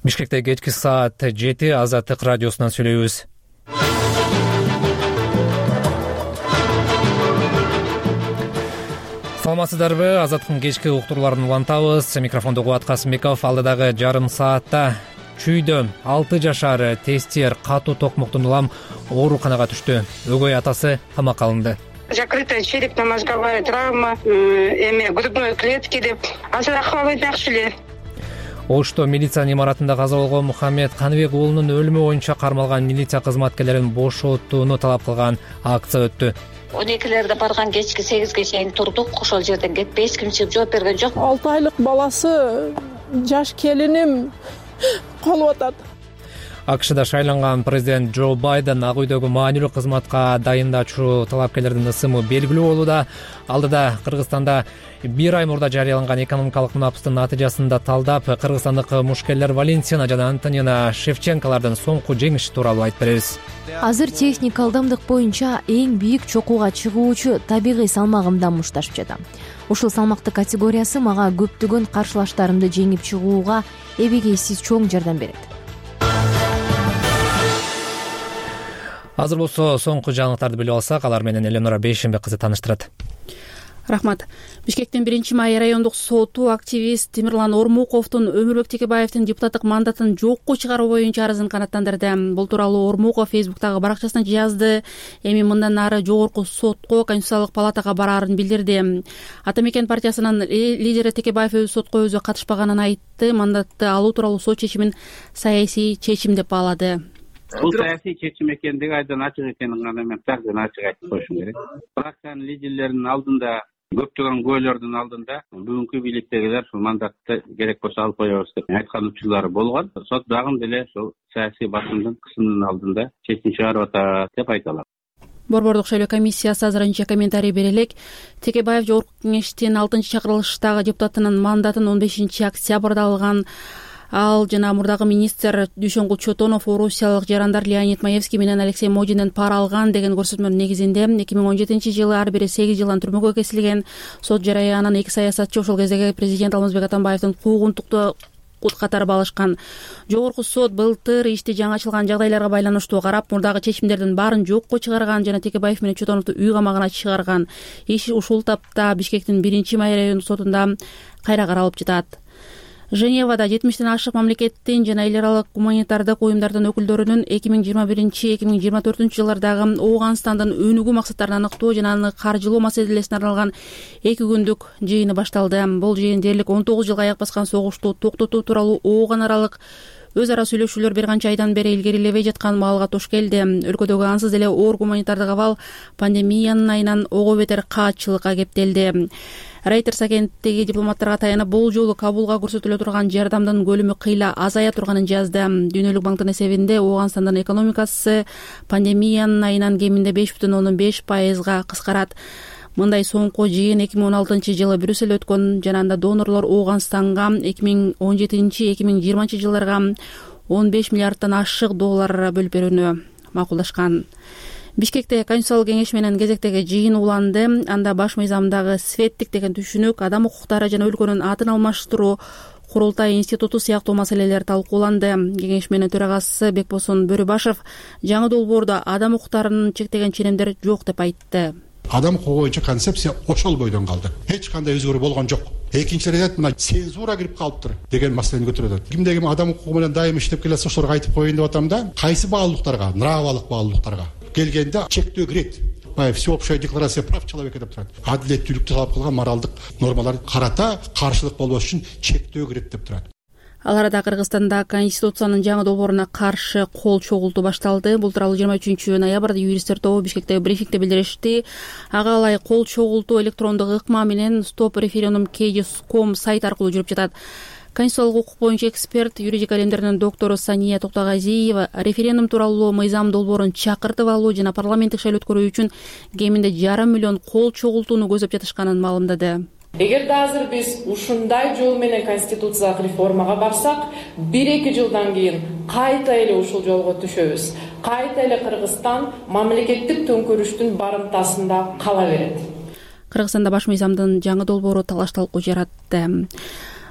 Бишкекте кечки саат 7 Азаттык радиосунан сүйлөйбүз. Саламатсыздарбы? Азаттыктын кечки уктурларын улантабыз. Микрофондо Кубат Касымбеков. Алдыдагы жарым саатта Чүйдө 6 жашар тестер катуу токмоктон улам ооруканага түштү. Өгөй атасы камакка алынды. Закрытая черепно-мозговая травма, грудной клетки деп. Азыр акыбалы жакшы эле. Ошто милиция имаратында каза болгон Мухаммед Каныбек уулунун өлүмү боюнча кармалган милиция кызматкерлерин бошотууну талап кылган акция өттү. 12-лерде барган кечки 8ге чейин турдук, ошол жерден кетпей эч ким чыгып жооп берген жок. 6 айлык баласы, жаш келиним калып атат. АКШда шайланган президент Джо Байден ак үйдөгү маанилүү кызматка дайындачу талапкерлердин ысымы белгилүү болууда. Алдыда Кыргызстанда 1 ай мурда жарыяланган экономикалык мунапыстын натыйжасын талдап, кыргызстандык мушкерлер Валентина жана Антонина Шевченколордун соңку жеңиши тууралуу айтып беребиз. Азыр техник алдамдык боюнча эң бийик чокууга чыгуучу табигый салмагымдан мушташып жатам. Ушул салмактык категориясы мага көптөгөн каршылаштарымды жеңип чыгууга эбегейсиз чоң жардам берет. Азыр болсо соңку жаңылыктарды билип алсак, алар менен Эленора Бейшенбек кызы тааныштырат. Рахмат. Бишкектин 1-май райондук соту активист Темирлан Ормуковдун Өмүрбек Текебаевдин депутаттык мандатын жокко чыгаруу боюнча арызын канааттандырды. Бул тууралуу Ормуков Фейсбуктагы баракчасында жазды. Эми мындан ары жогорку сотко, Конституциялык палатага бараарын билдирди. Ата Мекен партиясынын лидери Текебаев сотко өзү катышпаганын айтты. Мандатты алуу тууралуу сот чечимин саясий чечим деп баалады. Бул саясий чечим экендиги айдан ачык экенин гана мен такдан ачык айтып коюшум керек. Фракциянын лидерлеринин алдында, көптөгөн көйлөрдүн алдында бүгүнкү бийликтегилер ушул мандатты керек болсо алып коебуз деп айткан учурлары болгон. Сот дагы деле ушул саясий басымдын кысымынын алдында чечим чыгарып атат деп айта алам. Борбордук шайлоо комиссиясы азырынча комментарий бере элек. Текебаев жогорку кеңештин 6-чакырылыштагы депутатынын мандатын 15-октябрда алган. Ал жана мурдагы министр Дүйшөнгүл Чотонов орусиялык жарандар Леонид Маевский менен Алексей Модинден пара алган деген көрсөтмөнүн негизинде 2017-жылы ар бири 8 жылдан түрмөгө кесилген. Сот жараянын 2 саясатчы ошол кездеги президент Алмазбек Атамбаевдин куугунтукту катары балышкан. Жогорку сот былтыр ишти жаңы ачылган жагдайларга байланыштуу карап, мурдагы чечимдердин баарын жокко чыгарган жана Текебаев менен Чотоновду үй камагына чыгарган. Иш ушул тапта Бишкектин 1-май райондук сотунда кайра каралып жатат. Женевада 70тен ашык мамлекеттин жана эл аралык гуманитардык уюмдардын өкүлдөрүнүн 2021-2024 жылдардагы Ооганстандын өнүгүү максаттарын аныктоо жана аны каржылоо маселесине арналган 2 күндүк жыйыны башталды. Бул жыйын дээрлик 19 жылга аяк баскан согушту токтотуу тууралуу Ооган аралык өз ара сүйлөшүүлөр бир канча айдан бери илгерилебей жаткан маалга туш келди. Өлкөдөгү ансыз эле оор гуманитардык абал пандемиянын айынан ого бетер каатчылыкка кептелди. Reuters агенттиги дипломаттарга таянып, бул жолу Кабулга көрсөтүлө турган жардамдын көлөмү кыйла азая турганын жазды. Дүйнөлүк банктын эсебинде Ооганстандын экономикасы пандемиянын айынан кеминде 5,5% кыскарат. Мындай соңку жыйын 2016-жылы Брюсселде өткөн жана анда донорлор Ооганстанга 2017-2020 жылдарга 15 миллиарддан ашык доллар бөлүп берүүнү макулдашкан. Бишкекте Конституциялык кеңеш менен кезектеги жыйын уланды. Анда баш мыйзамдагы светтик деген түшүнүк, адам укуктары жана өлкөнүн атын алмаштыруу, курултай институту сыяктуу маселелер талкууланды. Кеңеш менен төрагасы Бекбосон Бөрүбашев жаңы долбоордо адам укуктарын чектеген ченемдер жок деп айтты. Адам укугу боюнча концепция ошол бойдон калды. Эч кандай өзгөрүү болгон жок. Экинчи рет мына цензура кирип калыптыр деген маселени көтөрөт. Кимде ким адам укугу менен дайым иштеп келсе ошолорго айтып коеюн деп атам да. Кайсы баалуулуктарга, нравалык баалуулуктарга келгенде чектөө кирет. Всеобщая декларация прав человека деп турат. Адилеттүүлүктү талап кылган моралдык нормалар карата каршылык болбош үчүн чектөө кирет деп турат. Ал арада Кыргызстанда Конституциянын жаңы долбооруна каршы кол чогултуу башталды. Бул тууралуу 23 ноябрда юристтер тобу Бишкектеги брифингде билдиришти. Ага ылай кол чогултуу электрондук ыкма менен stop-referendum.kg.com сайт аркылуу жүрүп жатат. Конституциялык укук боюнча эксперт, юридика илимдеринин доктору Сания Токтогазиева референдум тууралуу мыйзам долбоорун чакыртып алуу жана парламенттик шайлоо өткөрүү үчүн кеминде 1,5 миллион кол чогултууну көзөп жатышканын маалымдады. Эгерде азыр биз ушундай жол менен конституциялык реформага барсак, 1-2 жылдан кийин кайта эле ушул жолго түшөбүз. Кайта эле Кыргызстан мамлекеттик төңкөрүштүн барымтасында кала берет. Кыргызстанда баш мыйзамдын жаңы долбоору талаш талкуу жаратты.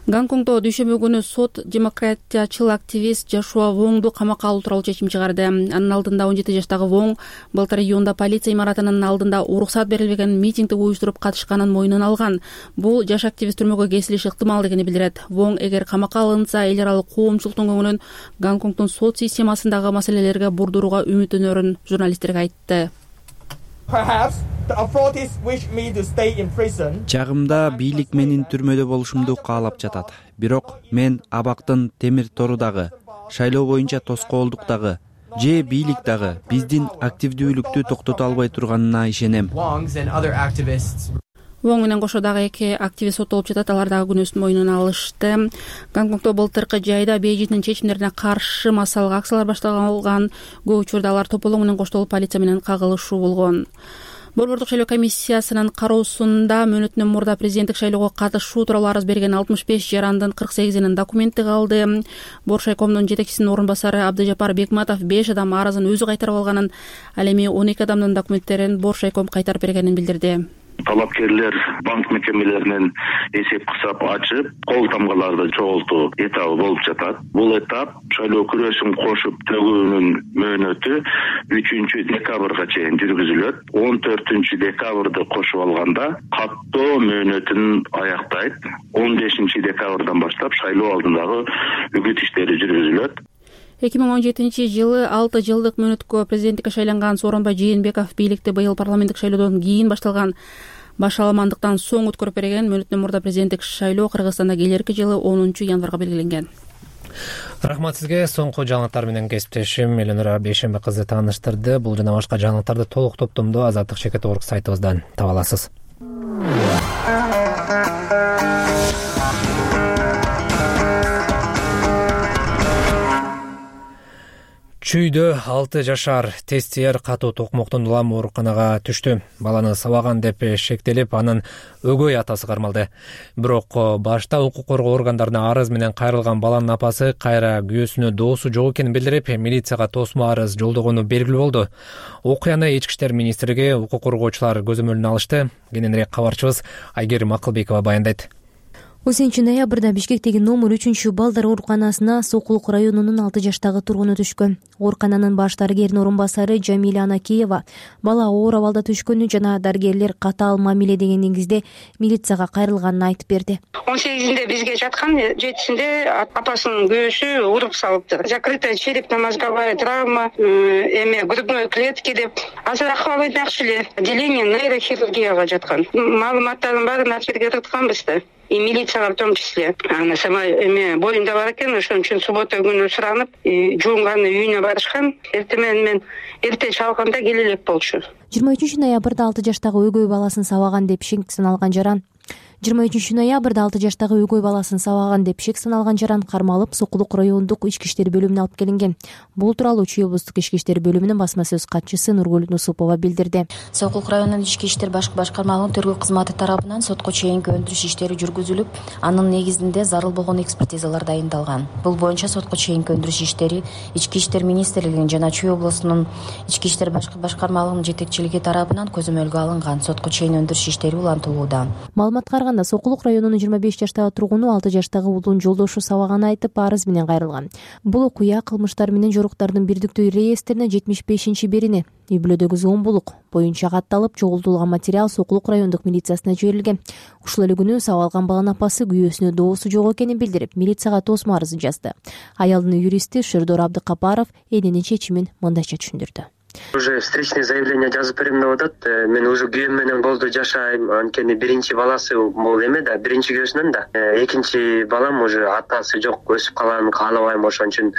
Гонконгдо дүйшөмбү күнү сот демократиячыл активист Жошуа Воңду камакка алуу тууралуу чечим чыгарды. Анын алдында 17 жаштагы Воң былтыр июнда полиция имаратынын алдында уруксат берилбеген митингди уюштуруп катышканын мойнуна алган. Бул жаш активист түрмөгө кесилиши ыктымал дегени билдирет. Воң эгер камакка алынса, эл аралык коомчулуктун көңүлүн Гонконгдун сот системасындагы маселелерге бурдурууга үмүттөнөрүн журналисттерге айтты. Чагымда бийлик менин түрмөдө болушумду каалап жатат. Бирок мен абактын темир тору дагы, шайлоо боюнча тоскоолдук же бийлик дагы биздин активдүүлүктү токтото албай турганына ишенем. Воң менен кошо дагы эки активист соттолуп жатат. Алар дагы күнөөсүн мойнуна алышты. Гонконгдо былтыркы жайда Бейжиңдин чечимдерине каршы массалык акциялар башталган. Көп учурда алар тополоң менен коштолуп полиция менен кагылышуу болгон. Борбордук шайлоо комиссиясынын кароосунда мөөнөтүнөн мурда президенттик шайлоого катышуу тууралуу арыз берген 65 жарандын 48-инин документи калды. Боршайкомдун жетекчисинин орун басары Абдыжапар Бекматов 5 адам арызын өзү кайтарып алганын, ал эми 12 адамдын документтерин Боршайком кайтарып бергенин билдирди. Талапкерлер банк мекемелеринен эсеп кысап ачып, кол тамгаларды чогултуу этабы болуп жатат. Бул этап шайлоо күрөшүн кошуп төгүүнүн мөөнөтү 3 декабрга чейин жүргүзүлөт. 14 декабрды кошуп алганда каттоо мөөнөтүн аяктайт. 15 декабрдан баштап шайлоо алдындагы үгүт иштери жүргүзүлөт. 2017-жылы 6 жылдык мөөнөткө президенттикке шайланган Сооронбай Жээнбеков бийликти быйыл парламенттик шайлоодон кийин башталган башаламандыктан соң өткөрүп берген. Мөөнөтүнөн мурда президенттик шайлоо Кыргызстанда келерки жылы 10 январга белгиленген. Рахмат сизге. Соңку жаңылыктар менен кесиптешим Эленора Бейшембе кызы тааныштырды. Бул жана башка жаңылыктарды толук топтомдо Азаттык Шекет.орг сайтыбыздан таба аласыз. Чүйдө 6 жашар тестиер катуу токмоктон улам ооруканага түштү. Баланы сабаган деп шектелип, анын өгөй атасы кармалды. Бирок башта укук коргоо органдарына арыз менен кайрылган баланын апасы кайра күйөөсүнө доосу жок экенин билдирип, милицияга тосмо арыз жолдогону белгилүү болду. Окуяны Ички иштер министрлиги укук коргоочулар көзөмөлүнө алышты. Кененирээк кабарчыбыз Айгерим Акылбекова баяндайт. 10 ноябрда Бишкектеги номер 3-балдар ооруканасына Сокулук районунун 6 жаштагы тургуну түшкөн. Оорукананын баш дарыгеринин орун басары Жамиля Анакеева бала оор абалда түшкөнү жана дарыгерлер катаал мамиле деген негизде милицияга кайрылганын айтып берди. 18-inde бизге жаткан, 7-синде апасынын күйөөсү уруп салыптыр. Закрытая черепно-мозговая травма, грудной клетки деп. Азыр акыбалы жакшы эле. Отделение нейрохирургияга жаткан. Маалыматтардын баарын ачып беритканбыз да. И милицияга в том числе. Ана сама боюнда бар экен, ошон үчүн суббота күнү суранып, жуунганы үйүнө барышкан. Мен эрте чалганда келе элек болчу. 23 ноябрда 6 жаштагы өгөй баласын сабаган деп шек саналган жаран 23 ноябрда 6 жаштагы өгөй баласын сабаган деп шек саналган жаран кармалып Сокулук райондук ички иштер бөлүмүнө алып келинген. Бул тууралуу Чүй облустук ички иштер бөлүмүнүн басма сөз катчысы Нургүл Нусупова билдирди. Сокулук районунун ички иштер башкармалыгынын тергөө кызматы тарабынан сотко чейинки өндүрүш иштери жүргүзүлүп, анын негизинде зарыл болгон экспертизалар дайындалган. Бул боюнча сотко чейинки өндүрүш иштери Ички иштер министрлигинин жана Чүй облусунун ички иштер башкармалыгынын жетекчилиги тарабынан көзөмөлгө алынган. Сотко чейин өндүрүш иштери улантылууда. Маалыматка караганда Сокулук районунун 25 жаштагы тургуну 6 жаштагы уулун жолдошу сабаганын айтып арыз менен кайрылган. Бул окуя кылмыштар менен жоруктардын бирдиктүү реестрине 75-берини үй бүлөдөгү зомбулук боюнча катталып, чогултулган материал Сокулук райондук милициясына жиберилген. Ушул эле күнү сабалган баланын апасы күйөөсүнө доосу жок экенин билдирип, милицияга тосмо арызын жазды. Аялдын юристи Шердор Абдыкапаров эненин чечимин мындайча түшүндүрдү. Уже встречное заявление жазып берем деп атат. Мен уже күйөөм менен болду жашайм. Анткени биринчи баласы бул эме да, биринчи күйөөсүнөн да. Экинчи балам уже атасы жок, өсүп калганын каалабайм, ошон үчүн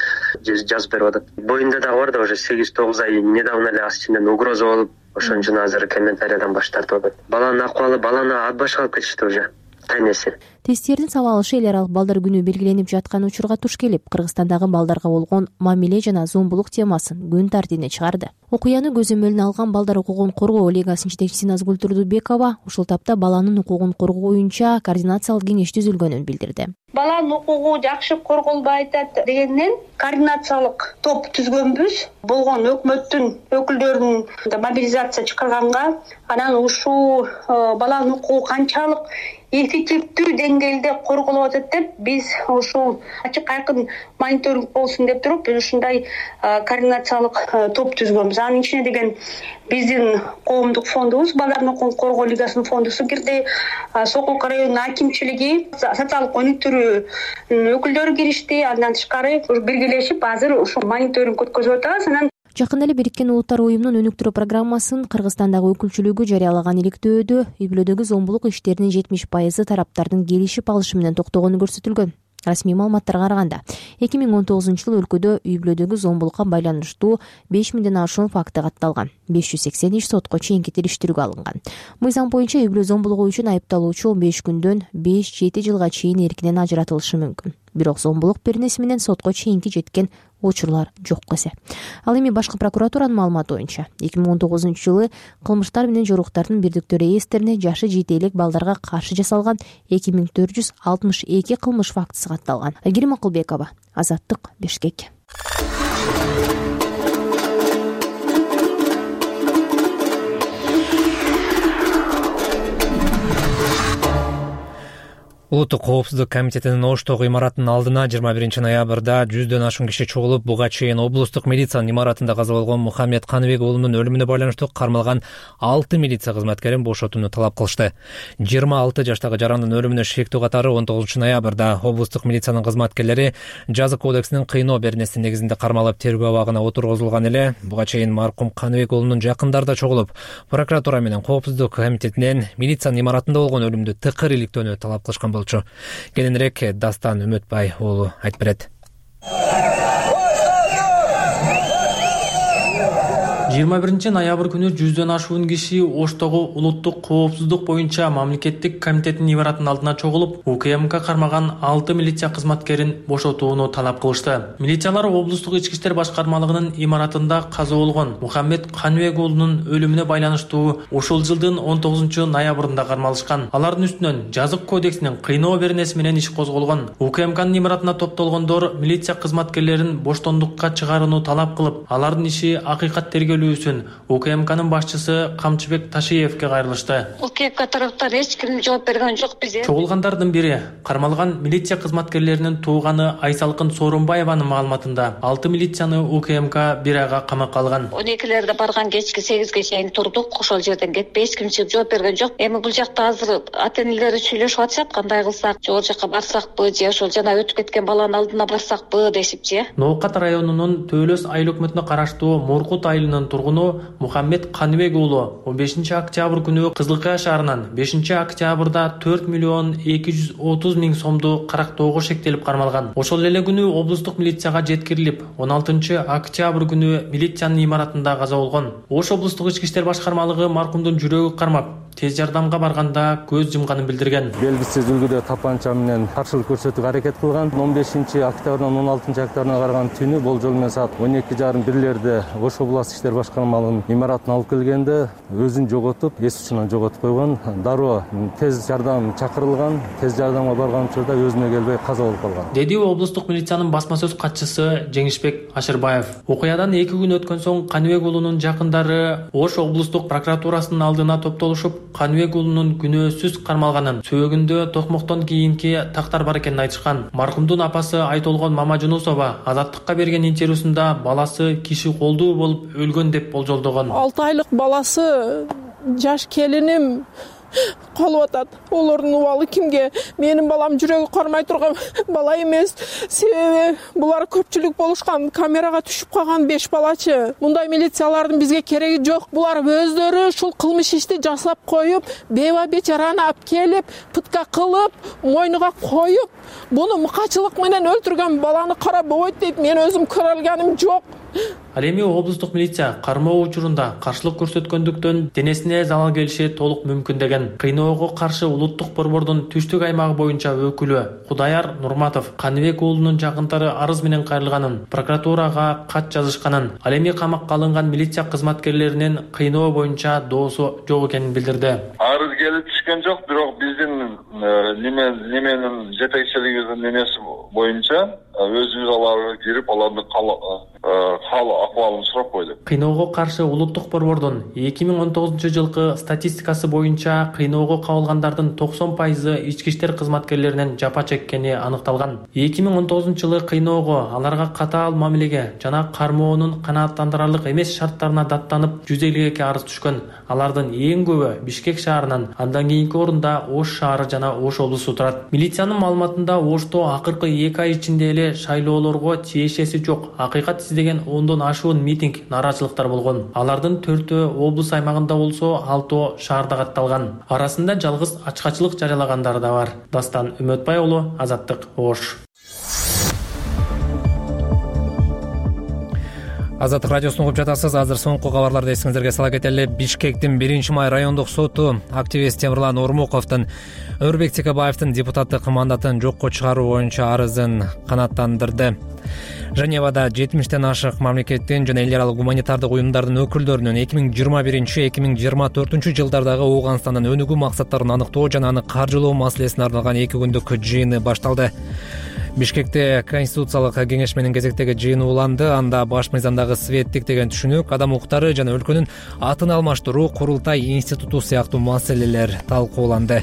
жазып берип атат. Боюнда дагы бар да, уже 8-9 ай недавно эле ас ичинен угроза болуп, ошон үчүн азыр комментариядан баш тартып атат. Баланын акыбалы, баланы ат башка алып кетишти уже. Тайнеси. Тесттердин сабалышы эл аралык балдар күнү белгиленип жаткан учурга туш келип, Кыргызстандагы балдарга болгон мамиле жана зомбулук темасын күн тартибине чыгарды. Окуяны көзөмөлүнө алган балдар укугун коргоо лигасынын жетекчиси Назгүл Турдубекова ушул тапта баланын укугун коргоо боюнча координациялык кеңеш түзүлгөнүн билдирди. Баланын укугу жакшы корголбой атат дегенден координациялык топ түзгөнбүз. Болгон өкмөттүн өкүлдөрүн мобилизация чыгарганга, анан ушул баланын укугу канчалык эффективдүү деңгээлде корголуп атат деп биз ушул ачык айкын мониторинг болсун деп туруп биз ушундай координациялык топ түзгөнбүз. Анын ичине деген биздин коомдук фондубуз, балдардын укугун коргоо лигасынын фондусу кирди, Сокулка районунун акимчилиги, социалдык өнүктүрүү өкүлдөрү киришти. Андан тышкары биргелешип азыр ушул мониторинг өткөзүп атабыз. Анан жакында эле Бириккен Улуттар уюмунун өнүктүрүү программасын Кыргызстандагы өкүлчүлүгү жарыялаган иликтөөдө үй-бүлөдөгү зомбулук иштеринин 70% тараптардын келишип алышы менен токтогону көрсөтүлгөн. Расмий маалыматтарга караганда 2019-жылы өлкөдө үй-бүлөдөгү зомбулукка байланыштуу 5000ден ашуун факты катталган. 580 иш сотко чейинки териштирүүгө алынган. Мыйзам боюнча үй-бүлө зомбулугу үчүн айыпталуучу 15 күндөн 5-7 жылга чейин эркинен ажыратылышы мүмкүн. Бирок зомбулук беренеси менен сотко чейинки жеткен учурлар жок эсе. Ал эми башкы прокуратуранын маалыматы боюнча 2019-жылы кылмыштар менен жоруктардын бирдиктөр ээстерине жашы жете элек балдарга каршы жасалган 2462 кылмыш фактысы катталган. Айгерим Акылбекова, Азаттык, Бишкек. Улуттук коопсуздук комитетинин Оштогу имаратынын алдына 21-ноябрда 100дөн ашуун киши чогулуп, буга чейин облустук милициянын имаратында каза болгон Мухаммед Каныбек уулунун өлүмүнө байланыштуу кармалган 6 милиция кызматкерин бошотууну талап кылышты. 26 жаштагы жарандын өлүмүнө шектүү катары 19-ноябрда облустук милициянын кызматкерлери жаза кодексинин кыйноо беренеси негизинде кармалып тергөө абагына отургузулган эле. Буга чейин маркум Каныбек уулунун жакындары да чогулуп, прокуратура менен коопсуздук комитетинен милициянын имаратында болгон өлүмдү тыкыр иликтөөнү талап кылышкан болчу. Кененирээк Дастан Үмөтбай уулу айтып берет. 21-ноябрь күнү 100дөн ашуун киши Оштогу улуттук коопсуздук боюнча мамлекеттик комитеттин имаратынын алдына чогулуп, УКМК кармаган 6 милиция кызматкерин бошотууну талап кылышты. Милициялар облустук ички иштер башкармалыгынын имаратында каза болгон Мухаммед Каныбек уулунун өлүмүнө байланыштуу ушул жылдын 19-ноябрында кармалышкан. Алардын үстүнөн жазык кодексинин кыйноо беренеси менен иш козголгон. УКМКнын имаратына топтолгондор милиция кызматкерлерин боштондукка чыгарууну талап кылып, алардын иши акыйкат тергөө үчүн УКМКнын башчысы Камчыбек Ташиевке кайрылышты. УКМК тараптан эч ким жооп берген жок бизге. Чогулгандардын бири кармалган милиция кызматкерлеринин тууганы Айсалкын Сооронбаеванын маалыматында 6 милицияны УКМК бир айга камакка алган. 12-лерде барган кечки 8ге чейин турдук, ошол жерден кетип эч ким чыгып жооп берген жок. Эми бул жакта азыр ата-энелери сүйлөшүп атышат, кандай кылсак, же ал жака барсакпы, же ошол жана өтүп кеткен баланын алдына барсакпы дешипчи. Ноокат районунун Төлөс айыл өкмөтүнө караштуу Муркут айылынын тургуну Мухаммед Каныбек уулу 15-октябрь күнү Кызылкая шаарынан 5-октябрда 4 миллион 230 миң сомду карактоого шектелип кармалган. Ошол эле күнү облустук милицияга жеткирилип, 16-октябрь күнү милициянын имаратында каза болгон. Ош облустук ички иштер башкармалыгы маркумдун жүрөгү кармап, тез жардамга барганда көз жумганын билдирген. Белгисиз үлгүдө тапанча менен каршылык көрсөтүүгө аракет кылган. 15-октябрдан 16-октябрына караган түнү болжол менен саат 12:30 Ош областык иштер башкармалыгынын имаратына алып келгенде өзүн жоготуп, эс учунан жоготуп койгон. Дароо тез жардам чакырылган. Тез жардамга барган учурда өзүнө келбей каза болуп калган. Деди облустук милициянын басма сөз катчысы Жеңишбек Ашырбаев. Окуядан 2 күн өткөн соң Каныбек уулунун жакындары Ош облустук прокуратурасынын алдына топтолушуп, Каныбек уулунун күнөөсүз кармалганын, сөөгүндө токмоктон кийинки тактар бар экенин айтышкан. Маркумдун апасы Айтолгон Мамажунусова Азаттыкка берген интервьюсунда баласы киши колдуу болуп өлгөн деп болжолдогон. 6 айлык баласы жаш келиним калып атат. Олордун убалы кимге? Менин балам жүрөгү кармай турган бала эмес. Себеби булар көпчүлүк болушкан, камерага түшүп калган 5 балачы. Мындай милициялардын бизге кереги жок. Булар өздөрү ушул кылмыш ишти жасап коюп, беба бечараны алып келип, пытка кылып, мойнуга коюп, буну мыкачылык менен өлтүргөн баланы карап болбойт дейт. Мен өзүм көрө алганым жок. Ал эми облустук милиция кармоо учурунда каршылык көрсөткөндүктөн денесине залал келиши толук мүмкүн деген. Кыйноого каршы улуттук борбордун түштүк аймагы боюнча өкүлү Кудаяр Нурматов Каныбек уулунун жакындары арыз менен кайрылганын, прокуратурага кат жазышканын, ал эми камакка алынган милиция кызматкерлеринин кыйноо боюнча доосу жок экенин билдирди. Арыз келип түшкөн жок, бирок биздин неменин жетекчилигибиздин эмеси боюнча өз визаларына кирип алардын кал акыбалын сурап койдук. Кыйноого каршы улуттук борбордун 2019-жылкы статистикасы боюнча кыйноого кабылгандардын 90% ички иштер кызматкерлеринин жапа чеккени аныкталган. 2019-жылы кыйноого, аларга катаал мамилеге жана кармоонун канааттандырарлык эмес шарттарына даттанып 152 арыз түшкөн. Алардын эң көбү Бишкек шаарынан, андан кийинки орунда Ош шаары жана Ош облусу турат. Милициянын маалыматында Ошто акыркы 2 ай ичинде эле шайлоолорго тиешеси жок акыйкат издеген 10дон ашуун митинг, нааразычылыктар болгон. Алардын 4-өө облус аймагында болсо, 6-өө шаарда катталган. Арасында жалгыз ачкачылык жарыялагандар да бар. Дастан Үмөтбай уулу, Азаттык, Ош. Азаттык радиосун угуп жатасыз. Азыр соңку кабарларды эсиңиздерге сала кетели. Бишкектин 1-май райондук соту активист Темирлан Ормуковдун Өрбек Текебаевдин депутаттык мандатын жокко чыгаруу боюнча арызын канааттандырды. Женевада 70тен ашык мамлекеттин жана эл аралык гуманитардык уюмдардын өкүлдөрүнүн 2021-2024 жылдардагы Ооганстандын өнүгүү максаттарын аныктоо жана аны каржылоо маселесине арналган 2 күндүк жыйыны башталды. Бишкекте Конституциялык кеңеш менен кезектеги жыйын уланды. Анда баш мыйзамдагы светтик деген түшүнүк, адам укуктары жана өлкөнүн атын алмаштыруу, курултай институту сыяктуу маселелер талкууланды.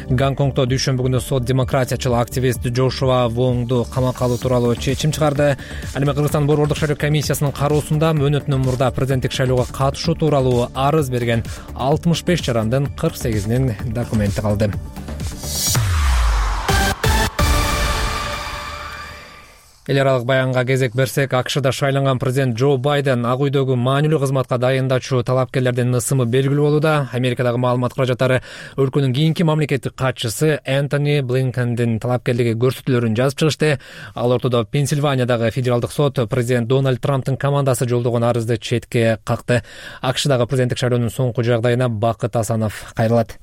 Гонконгдо дүйшөмбү күнү сот демократиячыл активист Джошуа Вонгду камакка алуу тууралуу чечим чыгарды. Ал эми Кыргызстан борбордук шайлоо комиссиясынын кароосунда мөөнөтүнөн мурда президенттик шайлоого катышуу тууралуу арыз берген 65 жарандын 48-нин документи калды. Эл аралык баянга кезек берсек, АКШда шайланган президент Джо Байден Ак үйдөгү маанилүү кызматка дайындачу талапкерлердин ысымы белгилүү болууда. Америкадагы маалымат каражаттары өлкөнүн кийинки мамлекеттик катчысы Энтони Блинкендин талапкерлиги көрсөтүүлөрүн жазып чыгышты. Ал ортодо Пенсильваниядагы федералдык сот президент Дональд Трамптын командасы жолдогон арызды четке какты. АКШдагы президенттик шайлоонун соңку жагдайына Бакыт Асанов кайрылат.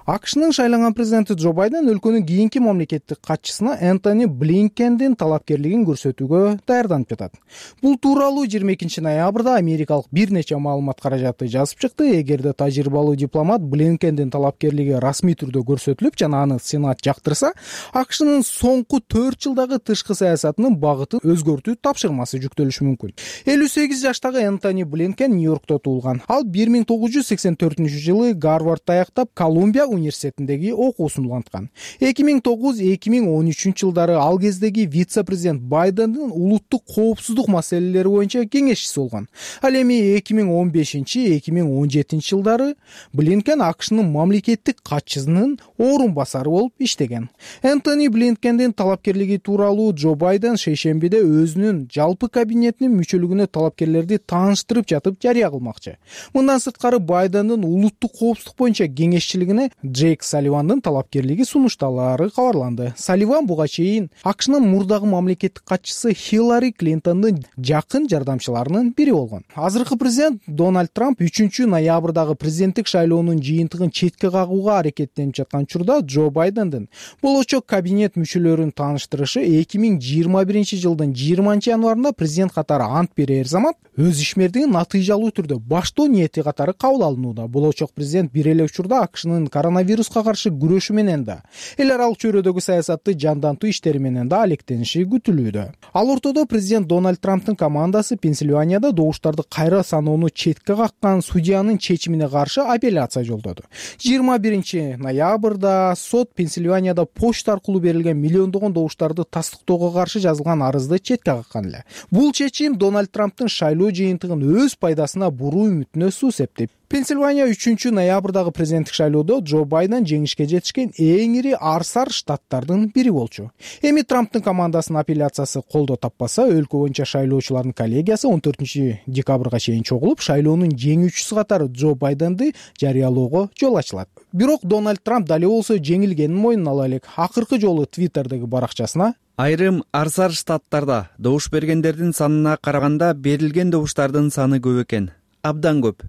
АКШнын шайланган президенти Джо Байден өлкөнүн кийинки мамлекеттик катчысына Энтони Блинкендин талапкерлигин көрсөтүүгө даярданып жатат. Бул тууралуу 22-ноябрда америкалык бир нече маалымат каражаты жазып чыкты. Эгерде тажрыйбалуу дипломат Блинкендин талапкерлиги расмий түрдө көрсөтүлүп жана аны Сенат жактырса, АКШнын соңку 4 жылдагы тышкы саясатынын багытын өзгөртүү тапшырмасы жүктөлүшү мүмкүн. 58 жаштагы Энтони Блинкен Нью-Йоркто туулган. Ал 1984-жылы Гарвардты аяктап, Колумбия университетиндеги окуусун уланткан. 2009-2013 жылдары ал кездеги вице-президент Байдендин улуттук коопсуздук маселелери боюнча кеңешчиси болгон. Ал эми 2015-2017 жылдары Блинкен АКШнын мамлекеттик катчысынын орун басары болуп иштеген. Энтони Блинкендин талапкерлиги тууралуу Джо Байден шейшембиде өзүнүн жалпы кабинетинин мүчөлүгүнө талапкерлерди тааныштырып жатып жарыя кылмакчы. Мындан сырткары Байдендин улуттук коопсуздук боюнча кеңешчилигине Джейк Салливандын талапкерлиги сунушталары кабарланды. Салливан буга чейин АКШнын мурдагы мамлекеттик катчысы Хиллари Клинтондун жакын жардамчыларынын бири болгон. Азыркы президент Дональд Трамп 3-ноябрдагы президенттик шайлоонун жыйынтыгын четке кагууга аракеттенип жаткан учурда Джо Байдендин болочок кабинет мүчөлөрүн тааныштырышы 2021 жылдын 20 январында президент катары ант берер замат өз ишмердигин натыйжалуу түрдө баштоо ниети катары кабыл алынууда. Болочок президент бир эле учурда АКШнын коронавируска каршы күрөшү менен да, эл аралык чөйрөдөгү саясатты жандантуу иштери менен да алектениши күтүлүүдө. Ал ортодо президент Дональд Трамптын командасы Пенсильванияда добуштарды кайра саноону четке каккан судьянын чечимине каршы апелляция жолдоду. 21-ноябрда сот Пенсильванияда почта аркылуу берилген миллиондогон добуштарды тастыктоого каршы жазылган арызды четке каккан эле. Бул чечим Дональд Трамптын шайлоо жыйынтыгын өз пайдасына буруу үмүтүнө суу септеп. Пенсильвания 3-ноябрдагы президенттик шайлоодо Джо Байден жеңишке жетишкен эң ири арсар штаттардын бири болчу. Эми Трамптын командасынын апелляциясы колдоо таппаса, өлкө боюнча шайлоочулардын коллегиясы 14-декабрга чейин чогулуп, шайлоонун жеңүүчүсү катары Джо Байденди жарыялоого жол ачылат. Бирок Дональд Трамп дали болсо жеңилгенин мойнуна ала элек. Акыркы жолу Твиттердеги баракчасына айрым арсар штаттарда добуш бергендердин санына караганда берилген добуштардын саны көп экен. Абдан көп.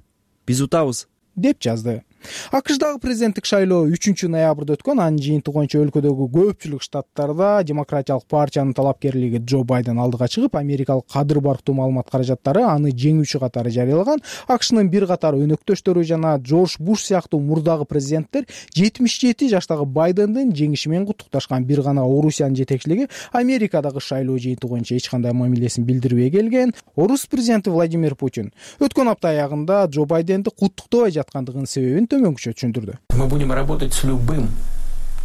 Биз утабыз, деп жазды. АКШдагы президенттик шайлоо 3-ноябрда өткөн. Анын жыйынтыгы боюнча өлкөдөгү көпчүлүк штаттарда демократиялык партиянын талапкерлиги Джо Байден алдыга чыгып, америкалык кадыр барктуу маалымат каражаттары аны жеңүүчү катары жарыялаган. АКШнын бир катар өнөктөштөрү жана Джордж Буш сыяктуу мурдагы президенттер 77 жаштагы Байдендин жеңиши менен куттукташкан. Бир гана Орусиянын жетекчилиги Америкадагы шайлоо жыйынтыгы боюнча эч кандай мамилесин билдирбей келген. Орус президенти Владимир Путин өткөн апта аягында Джо Байденди куттуктабай жаткандыгынын себебин төмөнкүчө түшүндүрдү. Мы будем работать с любым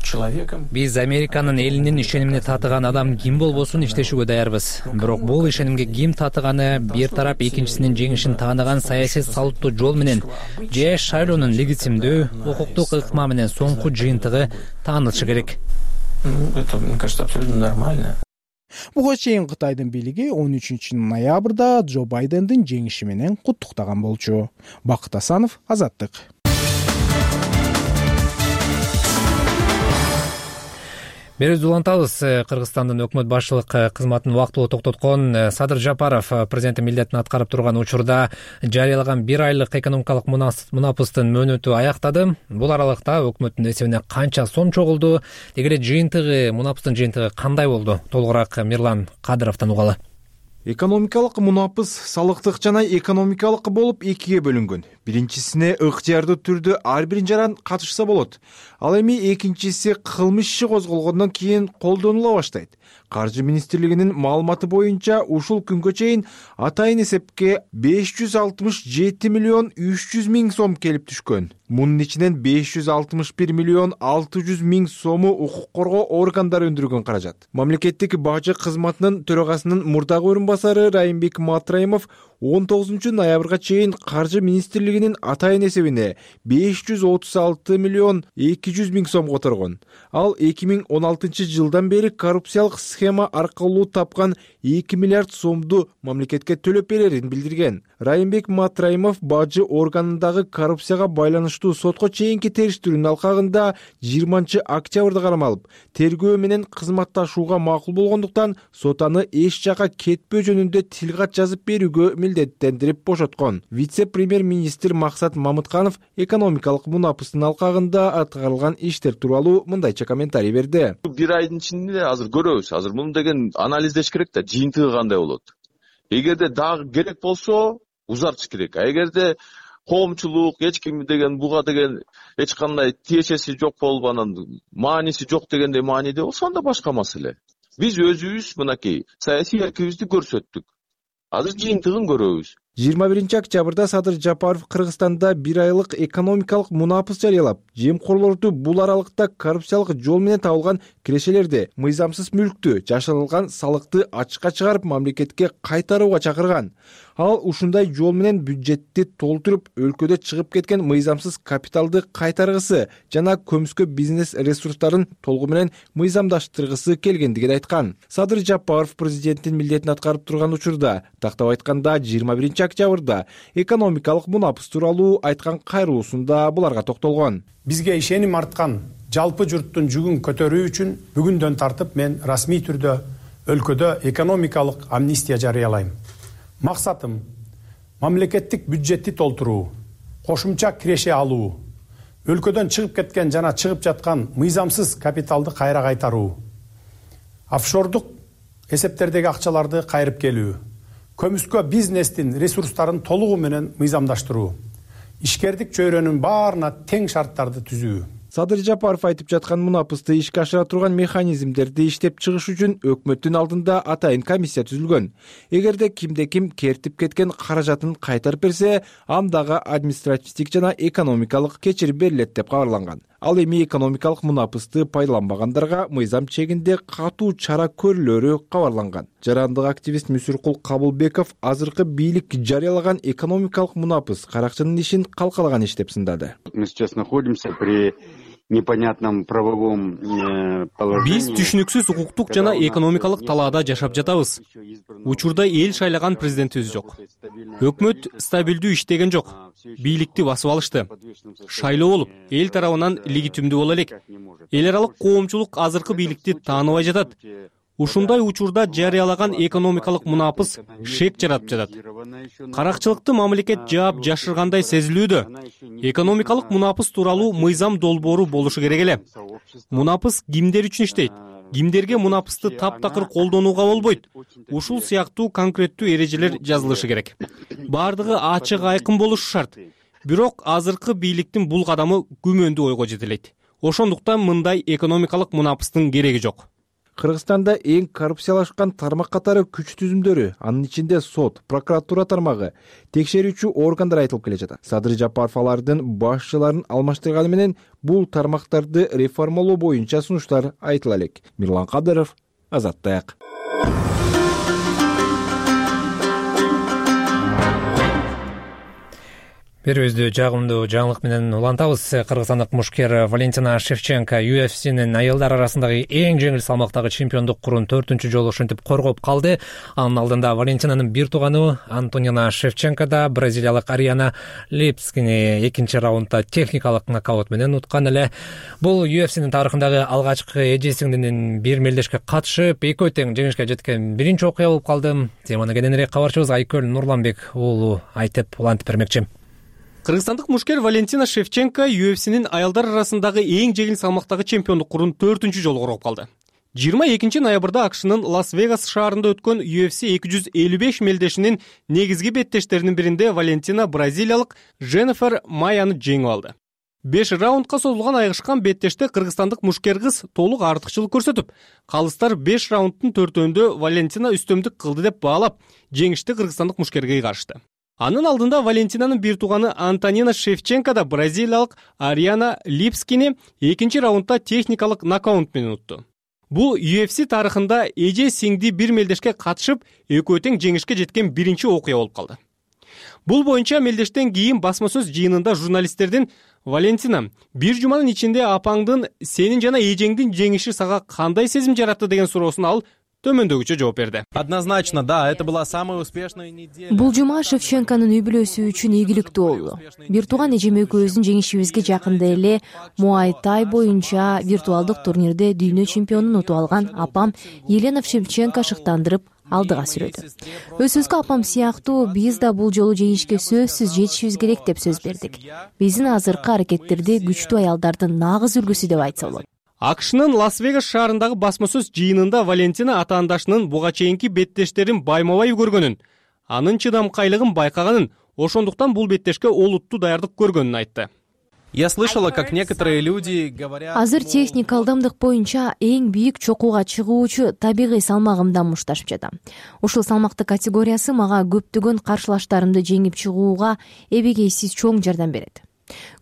человеком. Биз Американын элинин ишенимине татыган адам ким болбосун иштешүүгө даярбыз. Бирок бул ишенимге ким татыганы бир тарап экинчисинин жеңишин тааныган саясий салттуу жол менен же шайлоонун легитимдүү, укуктук ыкма менен соңку жыйынтыгы таанылышы керек. Это, мне кажется, абсолютно нормально. Буга чейин Кытайдын бийлиги 13-ноябрда Джо Байдендин жеңиши менен куттуктаган болчу. Бакыт Асанов, Азаттык. Берүүбүздү улантабыз. Кыргызстандын өкмөт башчылык кызматын убактылуу токтоткон Садыр Жапаров президенттин милдетин аткарып турган учурда жарыялаган 1 айлык экономикалык мунапыстын мөөнөтү аяктады. Бул аралыкта өкмөттүн эсебине канча сом чогулду? Деги эле жыйынтыгы, мунапыстын жыйынтыгы кандай болду? Толугураак Мирлан Кадыровдон угалы. Экономикалык мунапыс салыктык жана экономикалык болуп экиге бөлүнгөн. Биринчисине ыктыярдуу түрдө ар бир жаран катышса болот. Ал эми экинчиси кылмыш иши козголгондон кийин колдонула баштайт. Каржы министрлигинин маалыматы боюнча ушул күнгө чейин атайын эсепке 567 миллион 300 миң сом келип түшкөн. Мунун ичинен 561 миллион 600 миң сому укук коргоо органдары өндүргөн каражат. Мамлекеттик бажы кызматынын төрагасынын мурдагы орунбасары Райымбек Матраимов 19-ноябрга чейин Каржы министрлигинин атайын эсебине 536 миллион 200 миң сом которгон. Ал 2016 жылдан бери коррупциялык схема аркылуу тапкан 2 миллиард сомду мамлекетке төлөп берерин билдирген. Райымбек Матраимов бажы органындагы коррупцияга байланыштуу сотко чейинки териштирүүнүн алкагында 20 октябрда кармалып, тергөө менен кызматташууга макул болгондуктан сот аны эч жака кетпөө жөнүндө тил кат жазып берүүгө милдеттендирип бошоткон. Вице-премьер-министр Максат Мамытканов экономикалык мунапыстын алкагында аткарылган иштер тууралуу мындайча комментарий берди. Бир айдын ичинде азыр көрөбүз. Азыр муну деген анализдеш керек да, жыйынтыгы кандай болот. Эгерде дагы керек болсо узартыш керек. А эгерде коомчулук эч ким деген буга деген эч кандай тиешеси жок болуп, анан мааниси жок дегендей мааниде болсо анда башка маселе. Биз өзүбүз мынакей саясий эркибизди көрсөттүк. Азыр жыйынтыгын көрөбүз. 21 октябрда Садыр Жапаров Кыргызстанда 1 айлык экономикалык мунапыс жарыялап, жемкорлорду бул аралыкта коррупциялык жол менен табылган кирешелерди, мыйзамсыз мүлктү, жашырылган салыкты ачыкка чыгарып мамлекетке кайтарууга чакырган. Ал ушундай жол менен бюджетти толтуруп, өлкөдө чыгып кеткен мыйзамсыз капиталды кайтаргысы жана көмүскө бизнес ресурстарын толугу менен мыйзамдаштыргысы келгендигин айткан. Садыр Жапаров президенттин милдетин аткарып турган учурда, тактап айтканда 21 октябрда экономикалык мунапыс тууралуу айткан кайрылуусунда буларга токтолгон. Бизге ишеним арткан жалпы журттун жүгүн көтөрүү үчүн бүгүндөн тартып мен расмий түрдө өлкөдө экономикалык амнистия жарыялайм. Максатым мамлекеттик бюджетти толтуруу, кошумча киреше алуу, өлкөдөн чыгып кеткен жана чыгып жаткан мыйзамсыз капиталды кайра кайтаруу, офшордук эсептердеги акчаларды кайрып келүү, көмүскө бизнестин ресурстарын толугу менен мыйзамдаштыруу, ишкердик чөйрөнүн баарына тең шарттарды түзүү. Садыр Жапаров айтып жаткан мунапысты ишке ашыра турган механизмдерди иштеп чыгыш үчүн өкмөттүн алдында атайын комиссия түзүлгөн. Эгерде кимде-ким кертип кеткен каражатын кайтарып берсе, андага административдик жана экономикалык кечирим берилет деп кабарланган. Ал эми экономикалык мунапысты пайдаланбагандарга мыйзам чегинде катуу чара көрүлөрү кабарланган. Жарандык активист Мүсүркул Кабылбеков азыркы бийлик жарыялаган экономикалык мунапыс каракчынын ишин калкалаган иш деп сындады. Мы сейчас находимся при непонятном правовом положении. Биз түшүнүксүз укуктук жана экономикалык талаада жашап жатабыз. Учурда эл шайлаган президентибиз жок. Өкмөт стабилдүү иштеген жок. Бийликти басып алышты. Шайлоо болуп, эл тарабынан легитимдүү боло элек. Эл аралык коомчулук азыркы бийликти тааныбай жатат. ушундай учурда жарыялаган экономикалык мунапыс шек жаратып жатат. Каракчылыкты мамлекет жаап жашыргандай сезилүүдө. Экономикалык мунапыс тууралуу мыйзам долбоору болушу керек эле. Мунапыс кимдер үчүн иштейт? Кимдерге мунапысты таптакыр колдонууга болбойт? Ушул сыяктуу конкреттүү эрежелер жазылышы керек. Бардыгы ачык айкын болушу шарт. Бирок азыркы бийликтин бул кадамы күмөндүү ойго жетелейт. Ошондуктан мындай экономикалык мунапыстын кереги жок. Кыргызстанда эң коррупциялашкан тармак катары күч түзүмдөрү, анын ичинде сот, прокуратура тармагы, текшерүүчү органдар айтылып келе жатат. Садыр Жапаров алардын башчыларын алмаштырганы менен бул тармактарды реформалоо боюнча сунуштар айтыла элек. Мирлан Кадыров, Азаттык. Берүүбүздү жагымдуу жаңылык менен улантабыз. Кыргызстандык мушкер Валентина Шевченко UFC'нин аялдар арасындагы эң жеңил салмактагы чемпиондук курун 4-үнчү жолу ушинтип коргоп калды. Анын алдында Валентинанын бир тууганы Антонина Шевченко да бразилиялык Ариана Липскини экинчи раундда техникалык нокаут менен уткан эле. Бул UFC'нин тарыхындагы алгачкы эже сиңдинин бир мелдешке катышып, экөө тең жеңишке жеткен биринчи окуя болуп калды. Теманы кененирээк кабарчыбыз Айкөл Нурланбек уулу айтып улантып бермекчи. Кыргызстандык мушкер Валентина Шевченко UFC'нин аялдар арасындагы эң жеңил салмактагы чемпиондук курун 4-үнчү жолу коргоп калды. 22 ноябрда АКШнын Лас-Вегас шаарында өткөн UFC 255 мелдешинин негизги беттештеринин биринде Валентина бразилиялык Женефер Майяны жеңип алды. 5 раундка созулган айгышкан беттеште кыргызстандык мушкер кыз толук артыкчылык көрсөтүп, калыстар 5 раунддун 4-өндө Валентина үстөмдүк кылды деп баалап, жеңишти кыргызстандык мушкерге кайрышты. Анын алдында Валентинанын бир тууганы Антонина Шевченко да бразилиялык Ариана Липскини экинчи раундда техникалык нокаут менен утту. Бул UFC тарыхында эже сиңди бир мелдешке катышып, экөө тең жеңишке жеткен биринчи окуя болуп калды. Бул боюнча мелдештен кийин басма сөз жыйынында журналисттердин Валентина, бир жуманын ичинде апаңдын сенин жана эжеңдин жеңиши сага кандай сезим жаратты деген суроосуна ал төмөндөгүчө жооп берди. Однозначно, да, это была самая успешная неделя. Бул жума Шевченконун үй бүлөсү үчүн ийгиликтүү болду. Бир тууган эжем экөөбүздүн жеңишибизге жакында эле Muay Thai боюнча виртуалдык турнирде дүйнө чемпионун утуп алган апам Елена Шевченко шыктандырып алдыга сүрөдү. Өзүбүзгө апам сыяктуу биз да бул жолу жеңишке сөзсүз жетишибиз керек деп сөз бердик. Биздин азыркы аракеттерди күчтүү аялдардын нагыз үлгүсү деп айтса болот. АКШнын Лас-Вегас шаарындагы басма сөз жыйынында Валентина атаандашынын буга чейинки беттештерин байма-бай көргөнүн, анын чыдамкайлыгын байкаганын, ошондуктан бул беттешке олуттуу даярдык көргөнүн айтты. Я слышала, как некоторые люди говорят... Азыр техник алдамдык боюнча эң бийик чокууга чыгуучу табигый салмагымдан мушташып жатам. Ушул салмактык категориясы мага көптөгөн каршылаштарымды жеңип чыгууга эбегейсиз чоң жардам берет.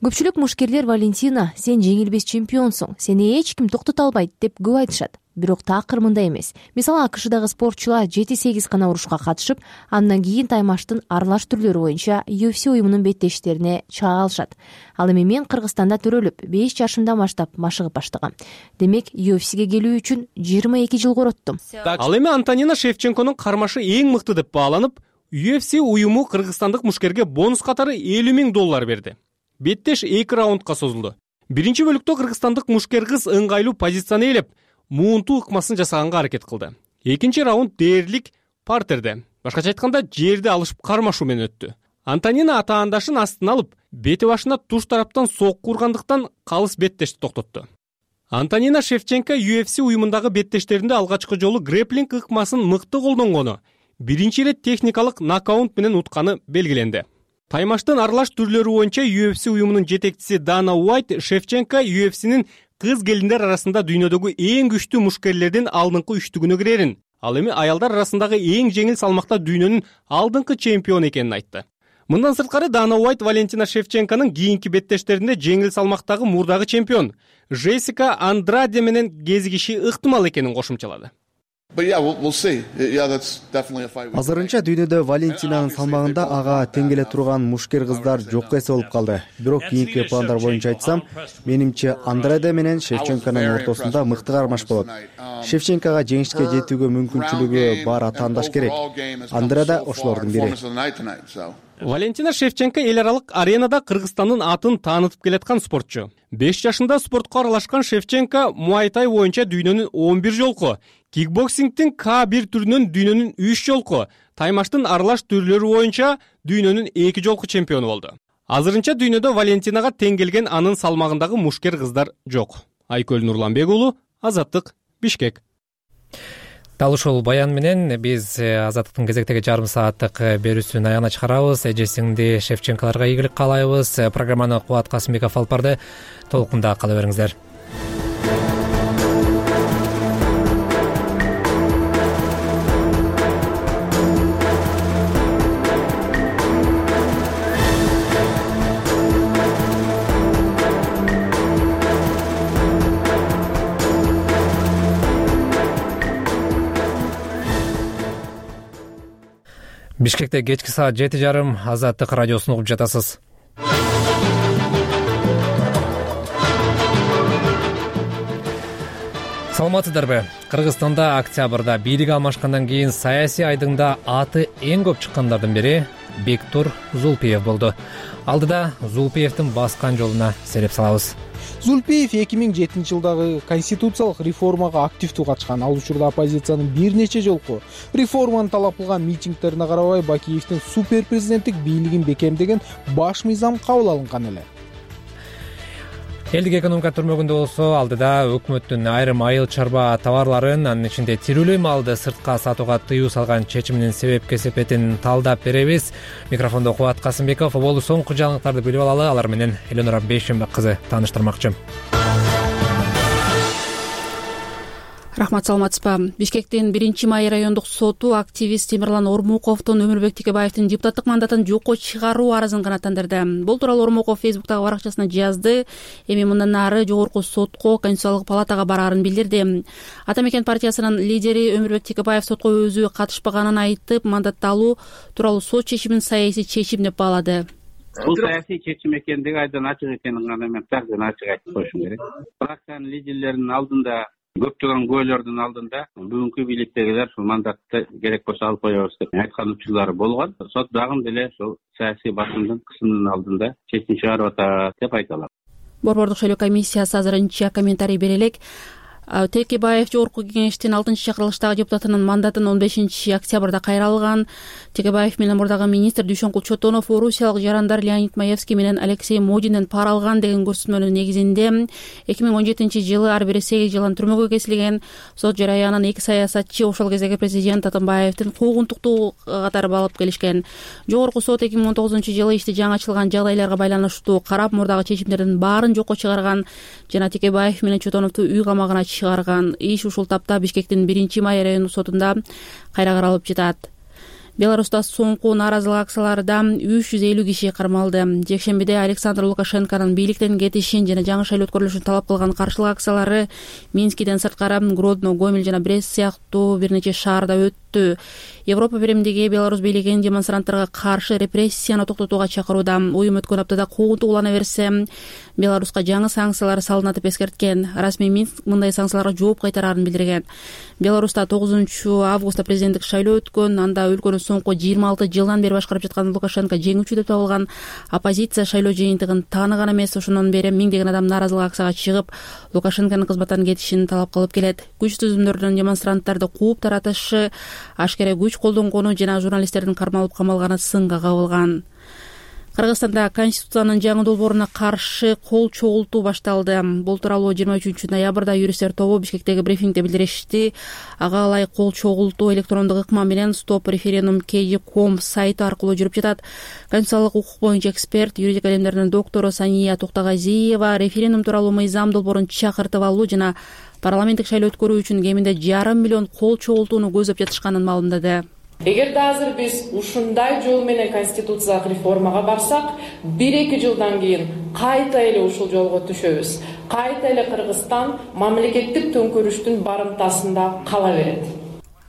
Көпчүлүк мушкерлер Валентина, сен жеңилбес чемпионсуң, сени эч ким токтото албайт деп көп айтышат. Бирок такыр мындай эмес. Мисалы АКШдагы спортчулар 7-8 гана урушка катышып, андан кийин таймаштын аралаш түрлөрү боюнча UFC уюмунун беттештерине чыга алышат. Ал эми мен Кыргызстанда төрөлүп, 5 жашымдан баштап машыгып баштагам. Демек, UFC'ге келүү үчүн 22 жыл короттум. Ал эми Антонина Шевченконун кармашы эң мыкты деп бааланып, UFC уюму кыргызстандык мушкерге бонус катары $50,000 берди. Беттеш 2 раундка созулду. Биринчи бөлүктө кыргызстандык мушкер кыз ыңгайлуу позицияны ээлеп, муунтуу ыкмасын жасаганга аракет кылды. Экинчи раунд дээрлик партерде, башкача айтканда жерди алышып кармашуу менен өттү. Антонина атаандашын астына алып, бети башына туш тараптан сокку ургандыктан калыс беттешти токтотту. Антонина Шевченко UFC уюмундагы беттештеринде алгачкы жолу грэплинг ыкмасын мыкты колдонгону, биринчи ирет техникалык нокаут менен утканы белгиленди. Таймаштын аралаш түрлөрү боюнча UFC уюмунун жетекчиси Дана Уайт Шевченко UFC'нин кыз келиндер арасында дүйнөдөгү эң күчтүү мушкерлердин алдыңкы үчтүгүнө кирерин, ал эми аялдар арасындагы эң жеңил салмакта дүйнөнүн алдыңкы чемпиону экенин айтты. Мындан сырткары Дана Уайт Валентина Шевченконун кийинки беттештеринде жеңил салмактагы мурдагы чемпион Джессика Андраде менен кезигиши ыктымал экенин кошумчалады. Азырынча дүйнөдө Валентинанын салмагында ага тең келе турган мушкер кыздар жокко эсе болуп калды. Бирок кийинки пландар боюнча айтсам, менимче Андраде менен Шевченконун ортосунда мыкты кармаш болот. Шевченкога жеңишке жетүүгө мүмкүнчүлүгү бар атаандаш керек. Андраде ошолордун бири. Валентина Шевченко эл аралык аренада Кыргызстандын атын таанытып келаткан спортчу. 5 жашында спортко аралашкан Шевченко Muay Thai боюнча дүйнөнүн 11 жолку, Кикбоксингдин К1 түрүнөн дүйнөнүн 3 жолку, таймаштын аралаш түрлөрү боюнча дүйнөнүн 2 жолку чемпиону болду. Азырынча дүйнөдө Валентинага тең келген анын салмагындагы мушкер кыздар жок. Айкөл Нурланбек уулу, Азаттык, Бишкек. Дал ушул баян менен биз Азаттыктын кезектеги жарым сааттык берүүсүн аягына чыгарабыз. Эжесиңди Шевченкаларга ийгилик каалайбыз. Программаны Кубат Касымбеков алып барды. Толкунда кала бериңиздер. Бишкекте кечки саат 7:30 Азаттык радиосун угуп жатасыз. Саламатсыздарбы? Кыргызстанда октябрда бийлик алмашкандан кийин саясий айдыңда аты эң көп чыккандардын бири Бектур Зулпиев болду. Алдыда Зулпиевдин баскан жолуна сереп салабыз. Зулпиев 2007-жылдагы конституциялык реформага активдүү катышкан. Ал учурда оппозициянын бир нече жолку реформаны талап кылган митингтерине карабай Бакиевдин супер президенттик бийлигин бекемдеген баш мыйзам кабыл алынган эле. Элдик экономика түрмөгүндө болсо алдыда өкмөттүн айрым айыл чарба товарларын, анын ичинде тирүүлөй малды сыртка сатууга тыюу салган чечиминин себеп-кесепетин талдап беребиз. Микрофондо Кубат Касымбеков. Болду соңку жаңылыктарды билип алалы. Алар менен Эленора Бейшембек кызы тааныштырмакчы. Рахмат, саламатсызбы? Бишкектин 1-май райондук соту активист Темирлан Ормуковдун Өмүрбек Текебаевдин депутаттык мандатын жокко чыгаруу арызын канааттандырды. Бул тууралуу Ормуков Фейсбуктагы баракчасына жазды. Эми мындан ары жогорку сотко, Конституциялык палатага бараарын билдирди. Ата мекен партиясынын лидери Өмүрбек Текебаев сотко өзү катышпаганын айтып, мандатты алуу тууралуу сот чечимин саясий чечим деп баалады. Бул саясий чечим экендиги айдан ачык экенин гана мен такыр ачык айтып коюшум керек. Фракциянын лидерлеринин алдында, көптөгөн күбөлөрдүн алдында бүгүнкү бийликтегилер ушул мандатты керек болсо алып коебуз деп айткан учурлары болгон. Сот дагы деле ушул саясий басымдын кысымынын алдында чечим чыгарып атат деп айта алам. Борбордук шайлоо комиссиясы азырынча комментарий бере элек. Текебаев жогорку кеңештин 6-чакырылыштагы депутатынын мандатын 15-октябрда кайра алган. Текебаев менен мурдагы министр Дүйшөнкул Чотонов орусиялык жарандар Леонид Маевский менен Алексей Модинден пара алган деген көрсөтмөнүн негизинде 2017-жылы ар бири 8 жылдан түрмөгө кесилген. Сот жараянын 2 саясатчы ошол кездеги президент Атамбаевдин куугунтуктуу катары алып келишкен. Жогорку сот 2019-жылы ишти жаңы ачылган жагдайларга байланыштуу карап, мурдагы чечимдердин баарын жокко чыгарган жана Текебаев менен Чотоновду үй камагына чыгарган. Иш ушул тапта Бишкектин 1-май райондук сотунда кайра каралып жатат. Беларуста соңку нааразылык акцияларында 350 киши кармалды. Жекшембиде Александр Лукашенконун бийликтен кетишин жана жаңы шайлоо өткөрүлүшүн талап кылган каршылык акциялары Минскиден сырткары Гродно, Гомель жана Брест сыяктуу бир нече шаарда өттү. Европа биримдиги Беларусь бийлигин демонстранттарга каршы репрессияны токтотууга чакырууда. Уюм өткөн аптада куугунтук улана берсе, Беларуска жаңы санкциялар салынат деп эскерткен. Расмий Минск мындай санкцияларга жооп кайтараарын билдирген. Беларуста 9-августта президенттик шайлоо өткөн. Анда өлкөнү соңку 26 жылдан бери башкарып жаткан Лукашенко жеңүүчү деп табылган. Оппозиция шайлоо жыйынтыгын тааныган эмес. Ошондон бери миңдеген адам нааразылык акцияга чыгып, Лукашенконун кызматтан кетишин талап кылып келет. Күч түзүмдөрдүн демонстранттарды кууп таратышы, ашкере күч колдонгону жана журналисттердин кармалып камалганы сынга кабылган. Кыргызстанда Конституциянын жаңы долбооруна каршы кол чогултуу башталды. Бул тууралуу 23-ноябрда юристтер тобу Бишкектеги брифингде билдиришти. Ага ылайык кол чогултуу электрондук ыкма менен stopreferendum.kg.com сайты аркылуу жүрүп жатат. Конституциялык укук боюнча эксперт, юридика илимдеринин доктору Сания Токтогазиева референдум тууралуу мыйзам долбоорун чакыртып алуу жана парламенттик шайлоо өткөрүү үчүн кеминде 5,5 миллион кол чогултууну көздөп жатышканын маалымдады. Эгерде азыр биз ушундай жол менен конституциялык реформага барсак, 1-2 жылдан кийин кайта эле ушул жолго түшөбүз. Кайта эле Кыргызстан мамлекеттик төңкөрүштүн барымтасында кала берет.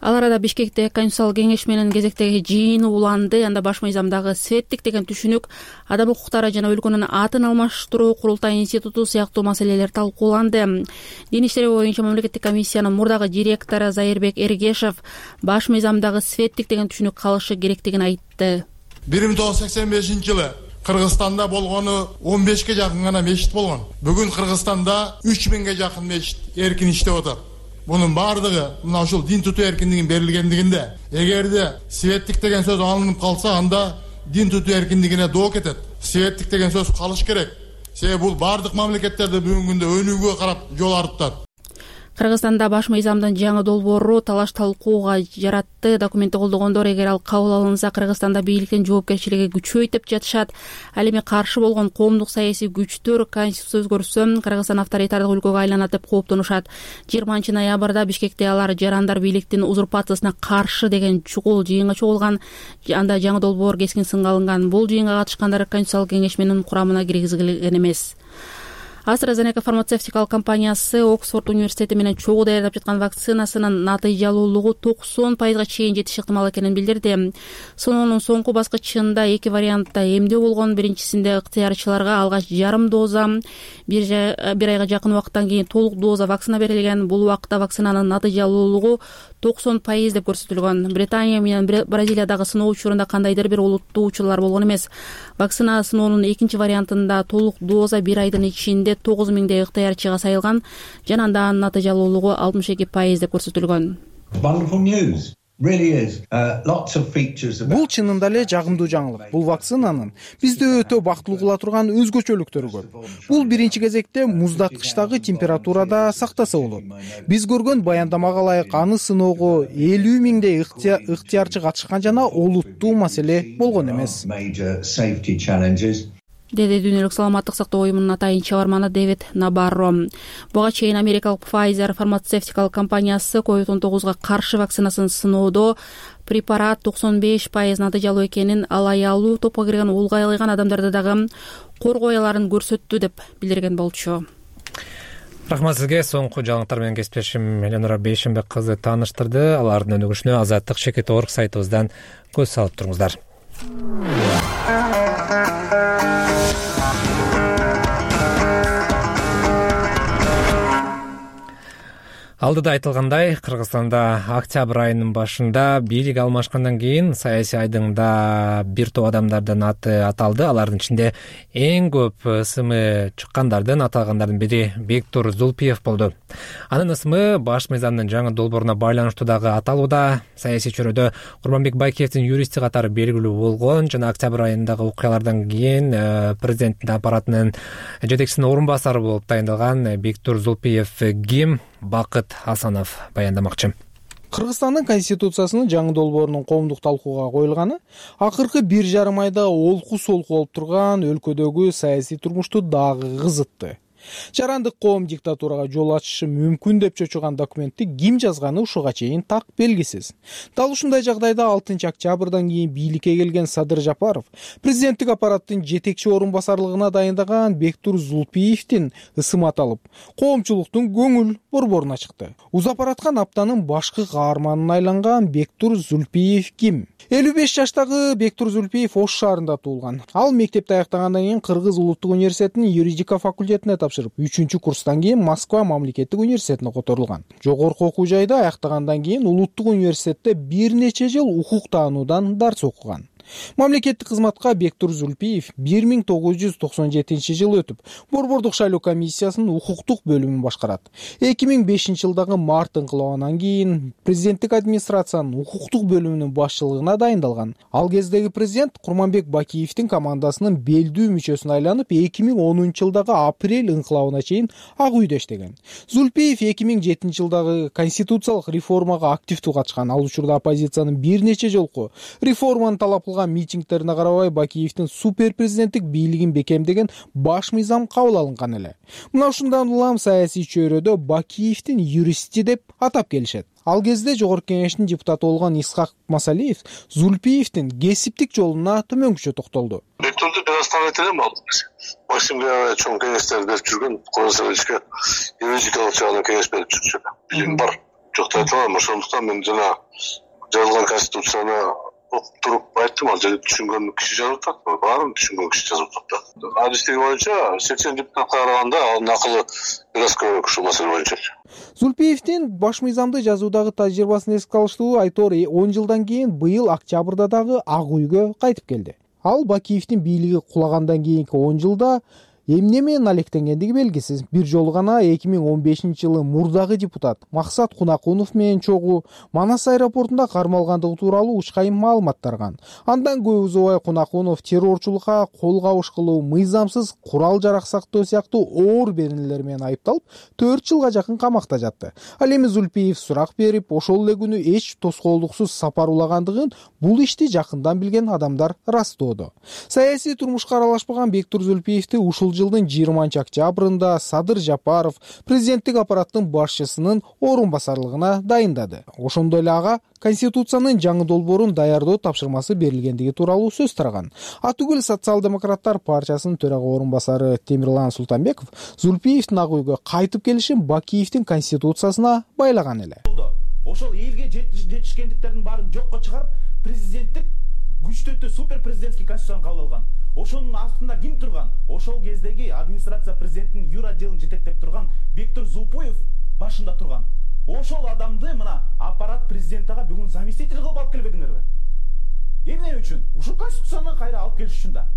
Ал арада Бишкекте Конституциялык кеңеш менен кезектеги жыйын уланды. Анда баш мыйзамдагы светтик деген түшүнүк, адам укуктары жана өлкөнүн атын алмаштыруу, курултай институту сыяктуу маселелер талкууланды. Дин иштери боюнча мамлекеттик комиссиянын мурдагы директору Зайырбек Эргешев баш мыйзамдагы светтик деген түшүнүк калышы керектигин айтты. 1985-жылы Кыргызстанда болгону 15ке жакын гана мечит болгон. Бүгүн Кыргызстанда 3000ге жакын мечит эркин иштеп атат. Мунун баардыгы мына ушул дин тутуу эркиндигин берилгендигинде, эгерде светтик деген сөз алынып калса, анда дин тутуу эркиндигине доо кетет. Светтик деген сөз калыш керек. Себеби бул баардык мамлекеттерде бүгүнкү күндө өнүүгө карап жол арыттат. Кыргызстанда баш мыйзамдын жаңы долбоору талаш талкууга жаратты. Документти колдогондор эгер ал кабыл алынса, Кыргызстанда бийликтин жоопкерчилиги күчөйт деп жатышат. Ал эми каршы болгон коомдук саясий күчтөр конституция өзгөртсө, Кыргызстан авторитардык өлкөгө айланат деп кооптонушат. 20 ноябрда Бишкекте алар жарандар бийликтин узурпациясына каршы деген чугул жыйынга чогулган. Анда жаңы долбоор кескин сынга алынган. Бул жыйынга катышкандар Конституциялык кеңеш менин курамына киргизилген эмес. AstraZeneca фармацевтикалык компаниясы Оксфорд университети менен чогуу даярдап жаткан вакцинасынын натыйжалуулугу 90%га чейин жетиш ыктымал экенин билдирди. Сыноонун соңку баскычында 2 вариантта эмдөө болгон. Биринчисинде ыктыярчыларга алгач жарым доза, бир айга жакын убакыттан кийин толук доза вакцина берилген. Бул убакытта вакцинанын натыйжалуулугу 90% деп көрсөтүлгөн. Британия менен Бразилиядагы сыноо учурунда кандайдыр бир олуттуучулар болгон эмес. Вакцина сыноонун экинчи вариантында толук доза бир айдын ичинде 9000 ыктыярчыга сайылган. Жана анда натыйжалуулугу 62% деп көрсөтүлгөн. Бул чынында эле жагымдуу жаңылык. Бул вакцинанын бизди өтө бактылуу кыла турган өзгөчөлүктөрү көп. Бул биринчи кезекте муздаткычтагы температурада сактаса болот. Биз көргөн баяндамага ылайык аны сыноого 50.000 ыктыярчы катышкан жана олуттуу маселе болгон эмес. Деди Дүйнөлүк саламаттык сактоо уюмунун атайын чабарманы Дэвид Набарро. Буга чейин Америкалык Pfizer фармацевтикалык компаниясы COVID-19га каршы вакцинасын сыноодо препарат 95% натыйжалуу экенин, ал аялуу топко кирген улгайлыган адамдарда дагы коргоо аяларын көрсөттү деп билдирген болчу. Рахмат сизге. Соңку жаңылыктар менен кесиптешим Эленора Бейшенбек кызы тааныштырды. Алардын өнүгүшүнө Азаттык-Шекет.org сайтыбыздан көз салып туруңуздар. Алдыда айтылгандай, Кыргызстанда октябрь айынын башында бийлик алмашкандан кийин саясий айдыңда бир топ адамдардын аты аталды. Алардын ичинде эң көп ысымы чыккандардын аталгандардын бири Бектур Зулпиев болду. Анын ысымы баш мыйзамдын жаңы долбооруна байланыштуу дагы аталууда. Саясий чөйрөдө Курманбек Байкеевдин юристи катары белгилүү болгон жана октябрь айындагы окуялардан кийин президенттин аппаратынын жетекчисинин орун басары болуп дайындалган Бектур Зулпиев ким? Бакыт Асанов баяндамакчы. Кыргызстандын конституциясынын жаңы долбоорунун коомдук талкууга коюлганы акыркы 1,5 айда олку-солку болуп турган өлкөдөгү саясий турмушту дагы кызытты. Жарандык коом диктатурага жол ачышы мүмкүн деп чочуган документти ким жазганы ушуга чейин так белгисиз. Дал ушундай жагдайда 6 октябрдан кийин бийликке келген Садыр Жапаров президенттик аппараттын жетекчи орун басарлыгына дайындаган Бектур Зулпиевдин ысымы аталып, коомчулуктун көңүл борборуна чыкты. Узап бараткан аптанын башкы каарманына айланган Бектур Зулпиев ким? 55 жаштагы Бектур Зулпиев Ош шаарында туулган. Ал мектепти аяктагандан кийин Кыргыз улуттук университетинин юридика факультетине тапшырып, 3-курстан кийин Москва мамлекеттик университетине которулган. Жогорку окуу жайда аяктагандан кийин улуттук университетте бир нече жыл укук таануудан дарс окуган. Мамлекеттик кызматка Бектур Зулпиев 1997 өтүп, Борбордук шайлоо комиссиясынын укуктук бөлүмүн башкарат. 2005 жылдагы март инкылабынан кийин президенттик администрациянын укуктук бөлүмүнүн башчылыгына дайындалган. Ал кездеги президент Курманбек Бакиевдин командасынын белдүү мүчөсүнө айланып, 2010 жылдагы апрель инкылабына чейин Ак үйдө иштеген. Зулпиев 2007 жылдагы конституциялык реформага активдүү катышкан. Ал учурда оппозициянын бир нече жолку реформаны талап митингтерине карабай Бакиевдин супер президенттик бийлигин бекемдеген баш мыйзам кабыл алынган эле. Мына ушундан улам саясий чөйрөдө Бакиевдин юристи деп атап келишет. Ал кезде жогорку кеңештин депутаты болгон Исхак Масалиев Зулпиевдин кесиптик жолуна төмөнкүчө токтолду. Бектурду предоставителем ал. Максимге чоң кеңештерди берип жүргөн, Коңсовичке юридикалык жагынан кеңеш берип жүрчү. Билим бар. Жокто айта алам, ошондуктан мен жана жазылган конституцияны окуп туруп айттым, ал жерде түшүнгөн киши жазып атат, баарын түшүнгөн киши жазып атат. Адистиги боюнча 80 депутатка караганда анын акылы бир аз көбүрөөк ушул маселе боюнча. Зулпиевдин баш мыйзамды жазуудагы тажрыйбасын эске алыштуу Айтор 10 жылдан кийин быйыл октябрда дагы Ак үйгө кайтып келди. Ал Бакиевдин бийлиги кулагандан кийинки 10 жылда эмне менен алектенгендиги белгисиз. Бир жолу гана 2015-жылы мурдагы депутат Максат Кунакунов менен чогуу Манас аэропортунда кармалгандыгы тууралуу учкайым маалымат тарган. Андан көп узабай Кунакунов террорчулукка кол кабыш кылуу, мыйзамсыз курал жарак сактоо сыяктуу оор беренелер менен айыпталып 4 жылга жакын камакта жатты. Ал эми Зулпиев сурак берип, ошол эле күнү эч тоскоолдуксуз сапар улагандыгын бул ишти жакындан билген адамдар ырастоодо. Саясий турмушка аралашпаган Бектур Зулпиевди ушул жылдын 20-октябрында Садыр Жапаров президенттик аппараттын башчысынын орун басарлыгына дайындады. Ошондой эле ага Конституциянын жаңы долбоорун даярдоо тапшырмасы берилгендиги тууралуу сөз тараган. Атүгүл Социал-демократтар партиясынын төрага орун басары Темирлан Султанбеков Зулпиевдин ак үйгө кайтып келишин Бакиевдин Конституциясына байлаган эле. Ошол элге жетишкендиктердин баарын жокко чыгарып, президенттик күчтөтүү супер президентский конституцияны кабыл алган. Ошонун астында ким турган? Ошол кездеги администрация президенттин юр отделин жетектеп турган Бектур Зулпиев башында турган. Ошол адамды мына аппарат президенттага бүгүн заместитель кылып алып келбедиңерби? Эмне үчүн? Ушул конституцияны кайра алып келиш үчүн да.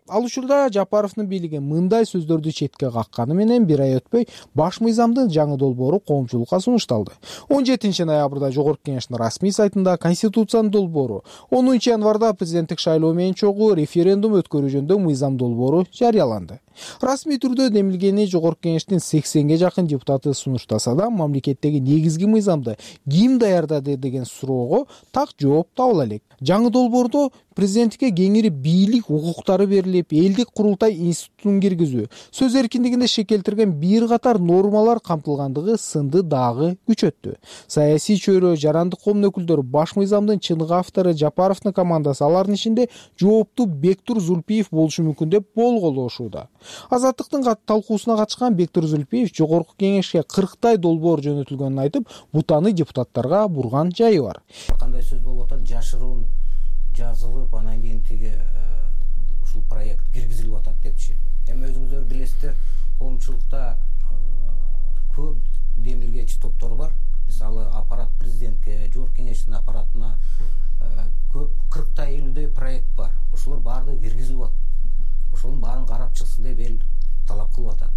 Ал учурда Жапаровдун бийлиги мындай сөздөрдү четке какканы менен бир ай өтпөй баш мыйзамдын жаңы долбоору коомчулукка сунушталды. 17 ноябрда Жогорку Кеңештин расмий сайтында Конституциянын долбоору, 10 январда президенттик шайлоо менен чогуу референдум өткөрүү жөнүндө мыйзам долбоору жарыяланды. Расмий түрдө демилгени Жогорку Кеңештин 80ге жакын депутаты сунуштаса да, мамлекеттеги негизги мыйзамды ким даярдады деген суроого так жооп табыла элек. Жаңы долбоордо президенттикке кеңири бийлик укуктары берилип, элдик курултай институтун киргизүү, сөз эркиндигинде шекелтирген бир катар нормалар камтылгандыгы сынды дагы күчөттү. Саясий чөйрө, жарандык коомдун өкүлдөрү баш мыйзамдын чыныгы автору Жапаровдун командасы алардын ичинде жооптуу Бектур Зулпиев болушу мүмкүн деп болголошууда. Азаттыктын талкуусуна катышкан Бектур Зулпиев Жогорку Кеңешке 40 долбоор жөнөтүлгөнүн айтып, бутаны депутаттарга бурган жайы бар. Кандай сөз болуп атат, жашыруун жазылып, анан кийин тиги ушул проект киргизилип атат депчи. Эми өзүңүздөр билесиздер, коомчулукта көп демилгечи топтор бар. Мисалы, аппарат президентке, Жогорку Кеңештин аппаратына көп 40-50 проект бар. Ошолор баардыгы киргизилип атат. Ошонун баарын карап чыксын деп эл талап кылып атат.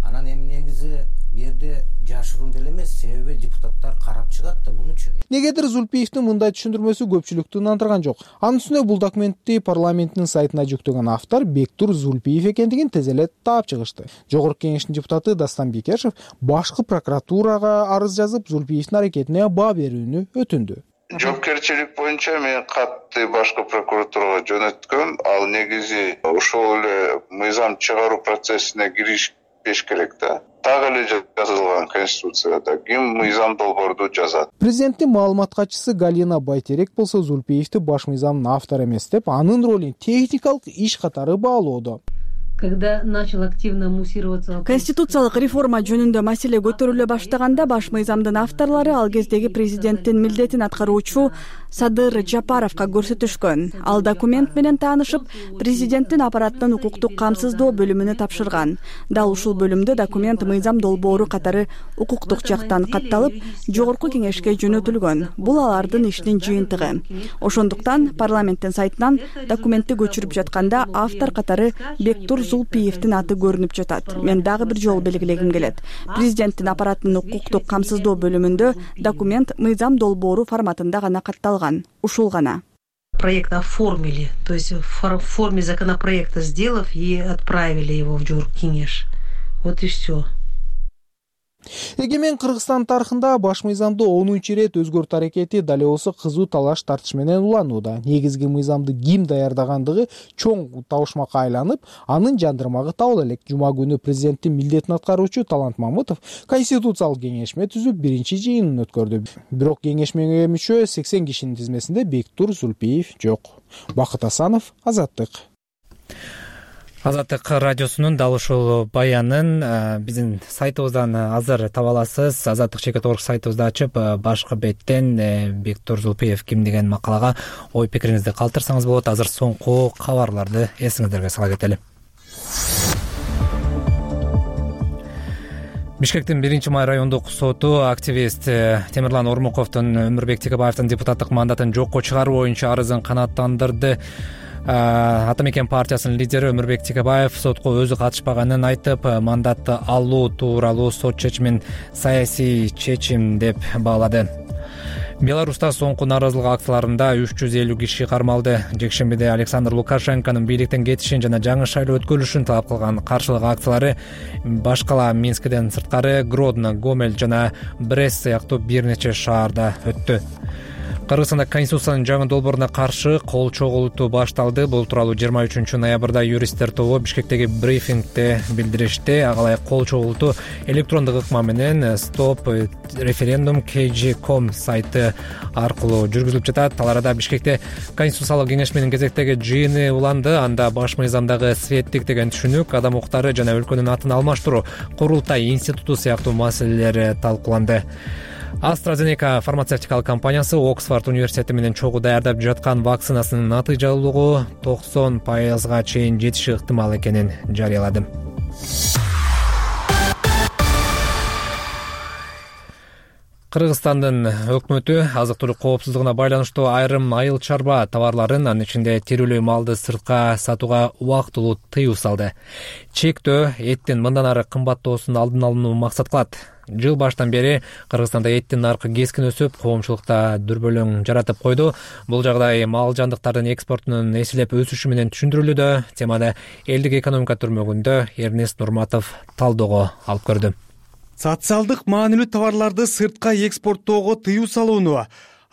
Анан эми негизи бу жерде жашыруун деле эмес, себеби депутаттар карап чыгат да бунучу. Негедир Зулпиевдин мындай түшүндүрмөсү көпчүлүктү нандырган жок. Анын үстүнө бул документти парламенттин сайтына жүктөгөн автор Бектур Зулпиев экендигин тез эле таап чыгышты. Жогорку Кеңештин депутаты Дастан Бекешев башкы прокуратурага арыз жазып, Зулпиевдин аракетине баа берүүнү өтүндү. Жоопкерчилик боюнча мен катты башкы прокуратурага жөнөткөм. Ал негизи ошол эле мыйзам чыгаруу процессине киришпеш керек да. Так эле жазылган Конституцияда ким мыйзам долбоорду жазат. Президенттин маалымат катчысы Галина Байтерек болсо Зулпиевди баш мыйзамдын автору эмес деп, анын ролун техникалык иш катары баалоодо. Когда начал активно муссироваться конституциялык реформа жөнүндө маселе көтөрүлө баштаганда баш мыйзамдын авторлору ал кездеги президенттин милдетин аткаруучу Садыр Жапаровго көрсөтүшкөн. Ал документ менен таанышып, президенттин аппараттын укуктук камсыздоо бөлүмүнө тапшырган. Дал ушул бөлүмдө документ мыйзам долбоору катары укуктук жактан катталып, Жогорку Кеңешке жөнөтүлгөн. Бул алардын ишинин жыйынтыгы. Ошондуктан парламенттин сайтынан документти көчүрүп жатканда автор катары Бектур Зулпиевдин аты көрүнүп жатат. Мен дагы бир жолу белгилегим келет. Президенттин аппараттын укуктук камсыздоо бөлүмүндө документ мыйзам долбоору форматында гана катталган. Ушул гана. Проект оформили, то есть в форме законопроекта сделав и отправили его в Жогорку Кеңеш. Вот и все. Эгемен Кыргызстан тарыхында баш мыйзамды 10-чу ирет өзгөртүү аракети дал болсо кызуу талаш тартыш менен уланууда. Негизги мыйзамды ким даярдагандыгы чоң табышмакка айланып, анын жандырмагы табыла элек. Жума күнү президенттин милдетин аткаруучу Талант Мамытов Конституциялык кеңешме түзүп биринчи жыйынын өткөрдү. Бирок кеңешмеге мүчө 80 кишинин тизмесинде Бектур Зулпиев жок. Бакыт Асанов, Азаттык. Азаттык радиосунун дал ушул баянын биздин сайтыбыздан азыр таба аласыз. Азаттык.org сайтыбызды ачып, башкы беттен Бектур Зулпиев ким деген макалага ой пикириңизди калтырсаңыз болот. Азыр соңку кабарларды эсиңиздерге сала кетели. Бишкектин 1-май райондук соту активист Темирлан Ормуковдун Өмүрбек Текебаевдин депутаттык мандатын жокко чыгаруу боюнча арызын канааттандырды. Ата мекен партиясынын лидери Өмүрбек Текебаев сотко өзү катышпаганын айтып, мандатты алуу тууралуу сот чечимин саясий чечим деп баалады. Беларуста соңку нааразылык акцияларында 350 киши кармалды. Жекшембиде Александр Лукашенконун бийликтен кетишин жана жаңы шайлоо өткөрүлүшүн талап кылган каршылык акциялары башкала Минскиден сырткары Гродно, Гомель жана Брест сыяктуу бир нече шаарда өттү. Кыргызстанда Конституциянын жаңы долбооруна каршы кол чогултуу башталды. Бул тууралуу 23 ноябрда юристтер тобу Бишкектеги брифингде билдиришти. Ага ылайык кол чогултуу электрондук ыкма менен Stop Referendum KG.com сайты аркылуу жүргүзүлүп жатат. Ал арада Бишкекте Конституциялык кеңеш менен кезектеги жыйыны уланды. Анда баш мыйзамдагы светтик деген түшүнүк, адам укуктары жана өлкөнүн атын алмаштыруу, курултай институту сыяктуу маселелер талкууланды. AstraZeneca фармацевтикалык компаниясы Оксфорд университети менен чогуу даярдап жаткан вакцинасынын натыйжалуулугу 90%га чейин жетиши ыктымал экенин жарыялады. Кыргызстандын өкмөтү азык-түлүк коопсуздугуна байланыштуу айрым айыл чарба товарларын, анын ичинде тирүүлүү малды сыртка сатууга убактылуу тыюу салды. Чектөө эттин мындан ары кымбаттоосун алдын алууну максат кылат. Жыл баштан бери Кыргызстанда эттин наркы кескин өсүп, коомчулукта дүрбөлөң жаратып койду. Бул жагдай мал жандыктардын экспортунун эселеп өсүшү менен түшүндүрүлүүдө. Темада элдик экономика түрмөгүндө Эрнест Нурматов талдоого алып көрдү. Социалдык маанилүү товарларды сыртка экспорттоого тыюу салууну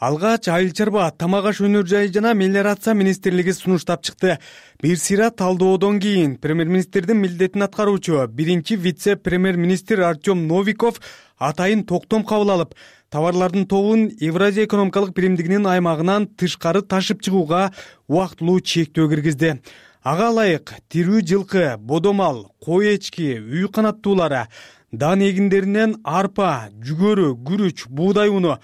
алгач айыл чарба, тамак аш өнөр жайы жана мелиорация министрлиги сунуштап чыкты. Бир сыйра талдоодон кийин премьер-министрдин милдетин аткаруучу биринчи вице-премьер-министр Артем Новиков атайын токтом кабыл алып, товарлардын тобун Евразия экономикалык биримдигинин аймагынан тышкары ташып чыгууга убактылуу чектөө киргизди. Ага ылайык тирүү жылкы, бодомал, кой эчки, үй канаттуулары, дан эгиндеринен арпа, жүгөрү, күрүч, буудай уну,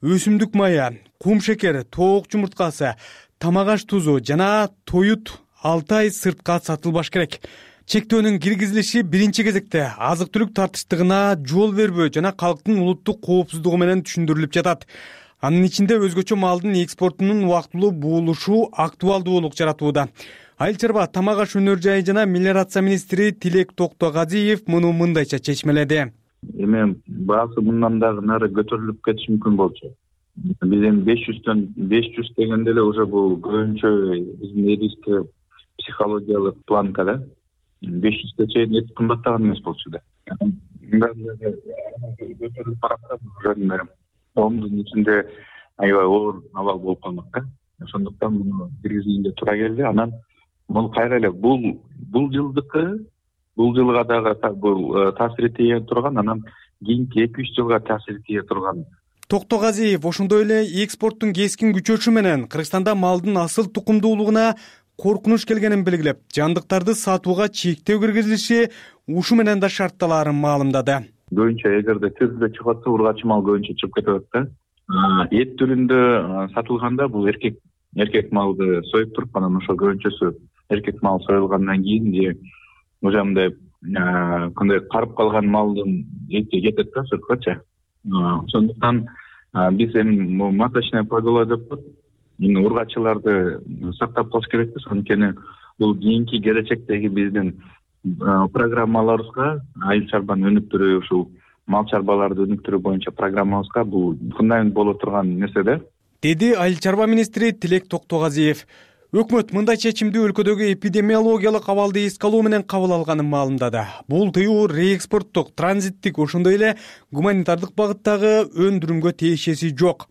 өсүмдүк мая, кум шекер, тоок жумурткасы, тамак аш тузу жана тоют 6 ай сыртка сатылбаш керек. Чектөөнүн киргизилиши биринчи кезекте азык-түлүк тартыштыгына жол бербөө жана калктын улуттук коопсуздугу менен түшүндүрүлүп жатат. Анын ичинде өзгөчө малдын экспортунун убактылуу буулушу актуалдуулук жаратууда. Айыл чарба, тамак аш өнөр жайы жана мелиорация министри Тилек Токтогазиев муну мындайча чечмеледи. Эми баасы мындан дагы нары көтөрүлүп кетиши мүмкүн болчу. Биз эми 500 дегенде эле уже бул көбүнчө биздин элибизде психологиялык планка да. 500ге чейин эт кымбаттаган эмес болчу да. Көтөрүлүп баратат уже коомдун ичинде аябай оор абал болуп калмак да. Ошондуктан муну киргизгенге туура келди. Анан бул кайра эле бул жылга дагы бул таасири тийе турган, анан кийинки 2-3 жылга таасири тийе турган. Токтогазиев ошондой эле экспорттун кескин күчөшү менен Кыргызстанда малдын асыл тукумдуулугуна коркунуч келгенин белгилеп, жандыктарды сатууга чектөө киргизилиши ушу менен да шартталаарын маалымдады. Көбүнчө эгерде тирүүгө чыгып атса, ургачы мал көбүнчө чыгып кетип атат да. Эт түрүндө сатылганда бул эркек малды союп туруп, анан ошо көбүнчөсү эркек мал союлгандан кийин же уже мындай кандай карып калган малдын эти кетет да сырткачы. Ошондуктан биз эми маточная поголовье деп коет. Ургачыларды сактап калыш керек да. Анткени бул кийинки келечектеги биздин программаларыбызга, айыл чарбаны өнүктүрүү, ушул мал чарбаларды өнүктүрүү боюнча программабызга бул фундамент боло турган нерсе да. Деди айыл чарба министри Тилек Токтогазиев. Өкмөт мындай чечимди өлкөдөгү эпидемиологиялык абалды эске алуу менен кабыл алганын маалымдады. Бул тыюу реэкспорттук, транзиттик, ошондой эле гуманитардык багыттагы өндүрүмгө тиешеси жок.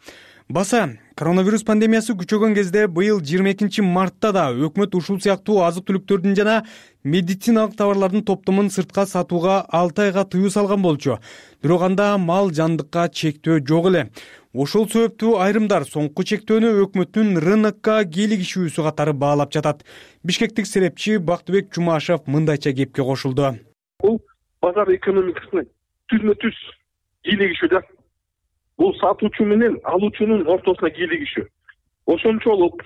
Баса, коронавирус пандемиясы күчөгөн кезде быйыл 22 мартта да өкмөт ушул сыяктуу азык-түлүктөрдүн жана медициналык товарлардын топтомун сыртка сатууга 6 айга тыюу салган болчу. Бирок анда мал жандыкка чектөө жок эле. Ошол себептүү айрымдар соңку чектөөнү өкмөттүн рынокко кийлигишүүсү катары баалап жатат. Бишкектик серепчи Бактыбек Жумашев мындайча кепке кошулду. Бул базар экономикасына түзмө-түз кийлигишүү да. Бул сатуучу менен алуучунун ортосуна кийлигишүү. Ошончолук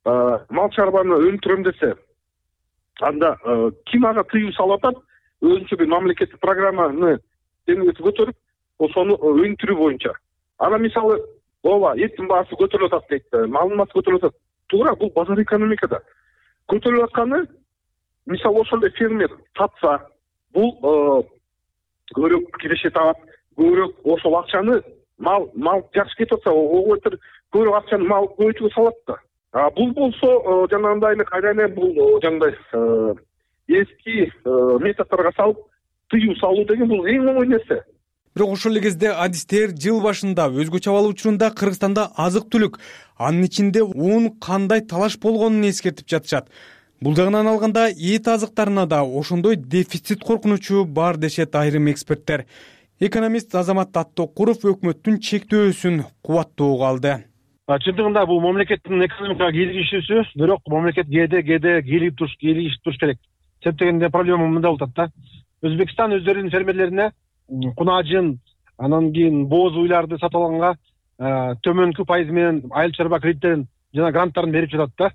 мал чарбаны өнүктүрөм десе, анда ким ага тыюу салып атат? Өзүнчө бир мамлекеттик программаны көтөрүп, ошону өнүктүрүү боюнча. Ана мисалы, ооба, эттин баасы көтөрүлүп атат дейт, малдын баасы көтөрүлүп атат. Туура, бул базар экономикада. көтөрүлүп атканы, мисалы ошол эле фермер сатса, бул көбүрөөк киреше табат, көбүрөөк ошол акчаны мал жакшы кетип атса, ого бетер көбүрөөк акчаны мал көбөйтүүгө салат да. Бул болсо жанагындай эле кайра эле бул жанагындай эски методдорго салып тыюу салуу деген бул эң оңой нерсе. Бирок ошол эле кезде адистер жыл башында өзгөчө абал учурунда Кыргызстанда азык-түлүк, анын ичинде un кандай талаш болгонун эскертип жатышат. Бул жагынан алганда эт азыктарына да ошондой дефицит коркунучу бар дешет айрым эксперттер. Экономист Азамат Аттокуров өкмөттүн чектөөсүн кубаттоого алды. Чындыгында бул мамлекеттин экономикага кийлигишүүсү, бирок мамлекет кээде кийлигишип туруш керек. Себеп дегенде проблема мында болуп атат да. Өзбекстан өздөрүнүн фермерлерине кунажын, анан кийин бооз уйларды сатып алганга төмөнкү пайыз менен айыл чарба кредиттерин жана гранттарын берип жатат да.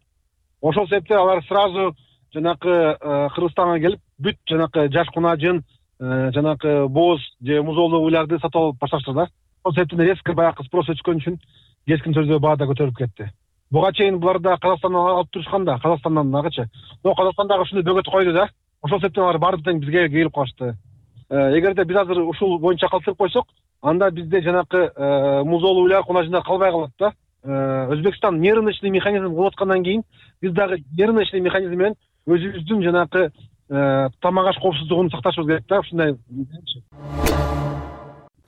Ошол себептен алар сразу жанакы Кыргызстанга келип бүт жанакы жаш кунажын, жанакы бооз же музоолуу уйларды сатып алып башташты да. Ошол себептен резко баягы спрос өскөн үчүн кескин түрдө баада көтөрүлүп кетти. Буга чейин булар да Казакстандан алып турушкан да, Казакстандан дагычы. Но Казакстан дагы ушуну бөгөт койду да. Ошол себептен алар баардык тең бизге келип калышты. Эгерде биз азыр ушул боюнча калтырып койсок, анда бизде жанакы музоолуу уйлар кунажындар калбай калат да. Өзбекстан нервный механизм кылып аткандан кийин биз дагы нервный механизм менен өзүбүздүн жанакы тамак аш коопсуздугун сакташыбыз керек да, ушундай.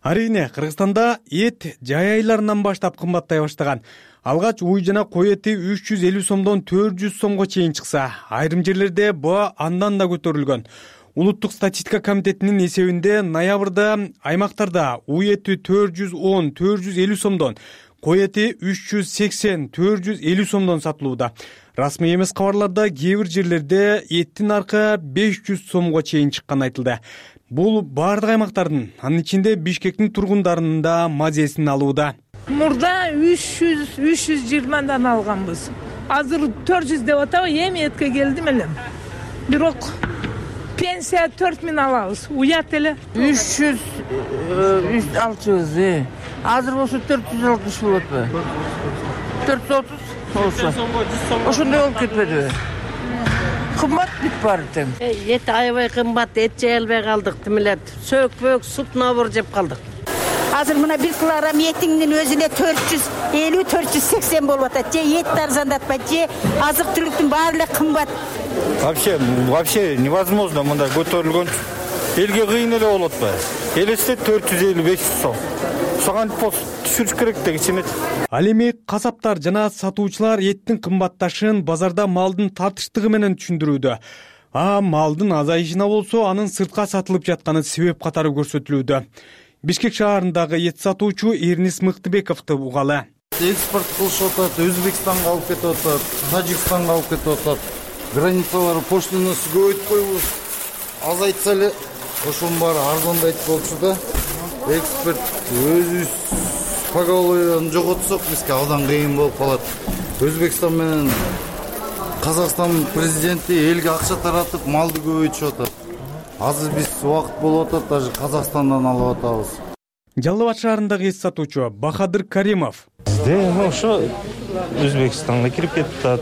Арийне, Кыргызстанда эт жай айларынан баштап кымбаттай баштаган. Алгач уй жана кой эти 350 сомдон 400 сомго чейин чыкса, айрым жерлерде баа андан да көтөрүлгөн. Улуттук статистика комитетинин эсебинде ноябрда аймактарда уй эти 410-450 сомдон, кой эти 380-450 сомдон сатылууда. Расмий эмес кабарларда кээ бир жерлерде эттин наркы 500 сомго чейин чыкканы айтылды. Бул бардык аймактардын, анын ичинде Бишкектин тургундарынын да мазесин алууда. Мурда 320дан алганбыз. Азыр 400 деп атабы, эми этке келдим элем. Бирок пенсия 4000 алабыз. Уят эле. 300 алчыбыз. Азыр болсо 460 болотпу? 430 болсо. Ошондой болуп кетпедиби? Кымбат бүт бар тең. Эт аябай кымбат, эт жей албай калдык, тимилет. Сөк-пөк, суп набыр жеп калдык. Азыр мына 1 килограмм этиңдин өзүнө 450-480 болуп атат. Же эт арзандатпайт, же азык-түлүктүн баары эле кымбат. Вообще невозможно мындай көтөрүлгөн. Элге кыйын эле болот ба? Элесте 450-500 сом. Соган түшүрүш керек дегичи. Ал эми касаптар жана сатуучулар эттин кымбатташын базарда малдын тартыштыгы менен түшүндүрүүдө. Малдын азайышына болсо анын сыртка сатылып жатканы себеп катары көрсөтүлүүдө. Бишкек шаарындагы эт сатуучу Эрнис Мыктыбековду угалы. Экспорт кылышып атат, Өзбекстанга алып кетип атат, Тажикстанга алып кетип атат. Границалар пошлинасы көбөйтүп койбуз. Азайтса эле ошонун баары арзандайт болчу да. Экспорт өзүбүз поголовьен жоготсок бизге абдан кыйын болуп калат. Өзбекстан менен Казакстан президенти элге акча таратып малды көбөйтүшүп атат. Азыр биз убакыт болуп атат, даже Казакстандан алып атабыз. Жалал Абад шаарындагы эт сатуучу Бахадыр Каримов. Бизде ошо Өзбекстанга кирип кетип атат.